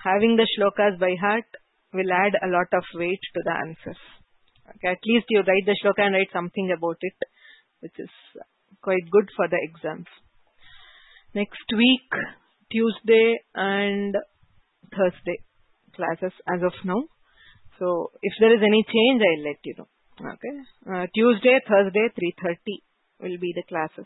[SPEAKER 1] having the shlokas by heart will add a lot of weight to the answers. Okay, at least you write the shloka and write something about it, which is quite good for the exams. Next week, Tuesday and Thursday classes as of now. So if there is any change, I'll let you know. Okay, Tuesday, Thursday, 3:30 will be the classes.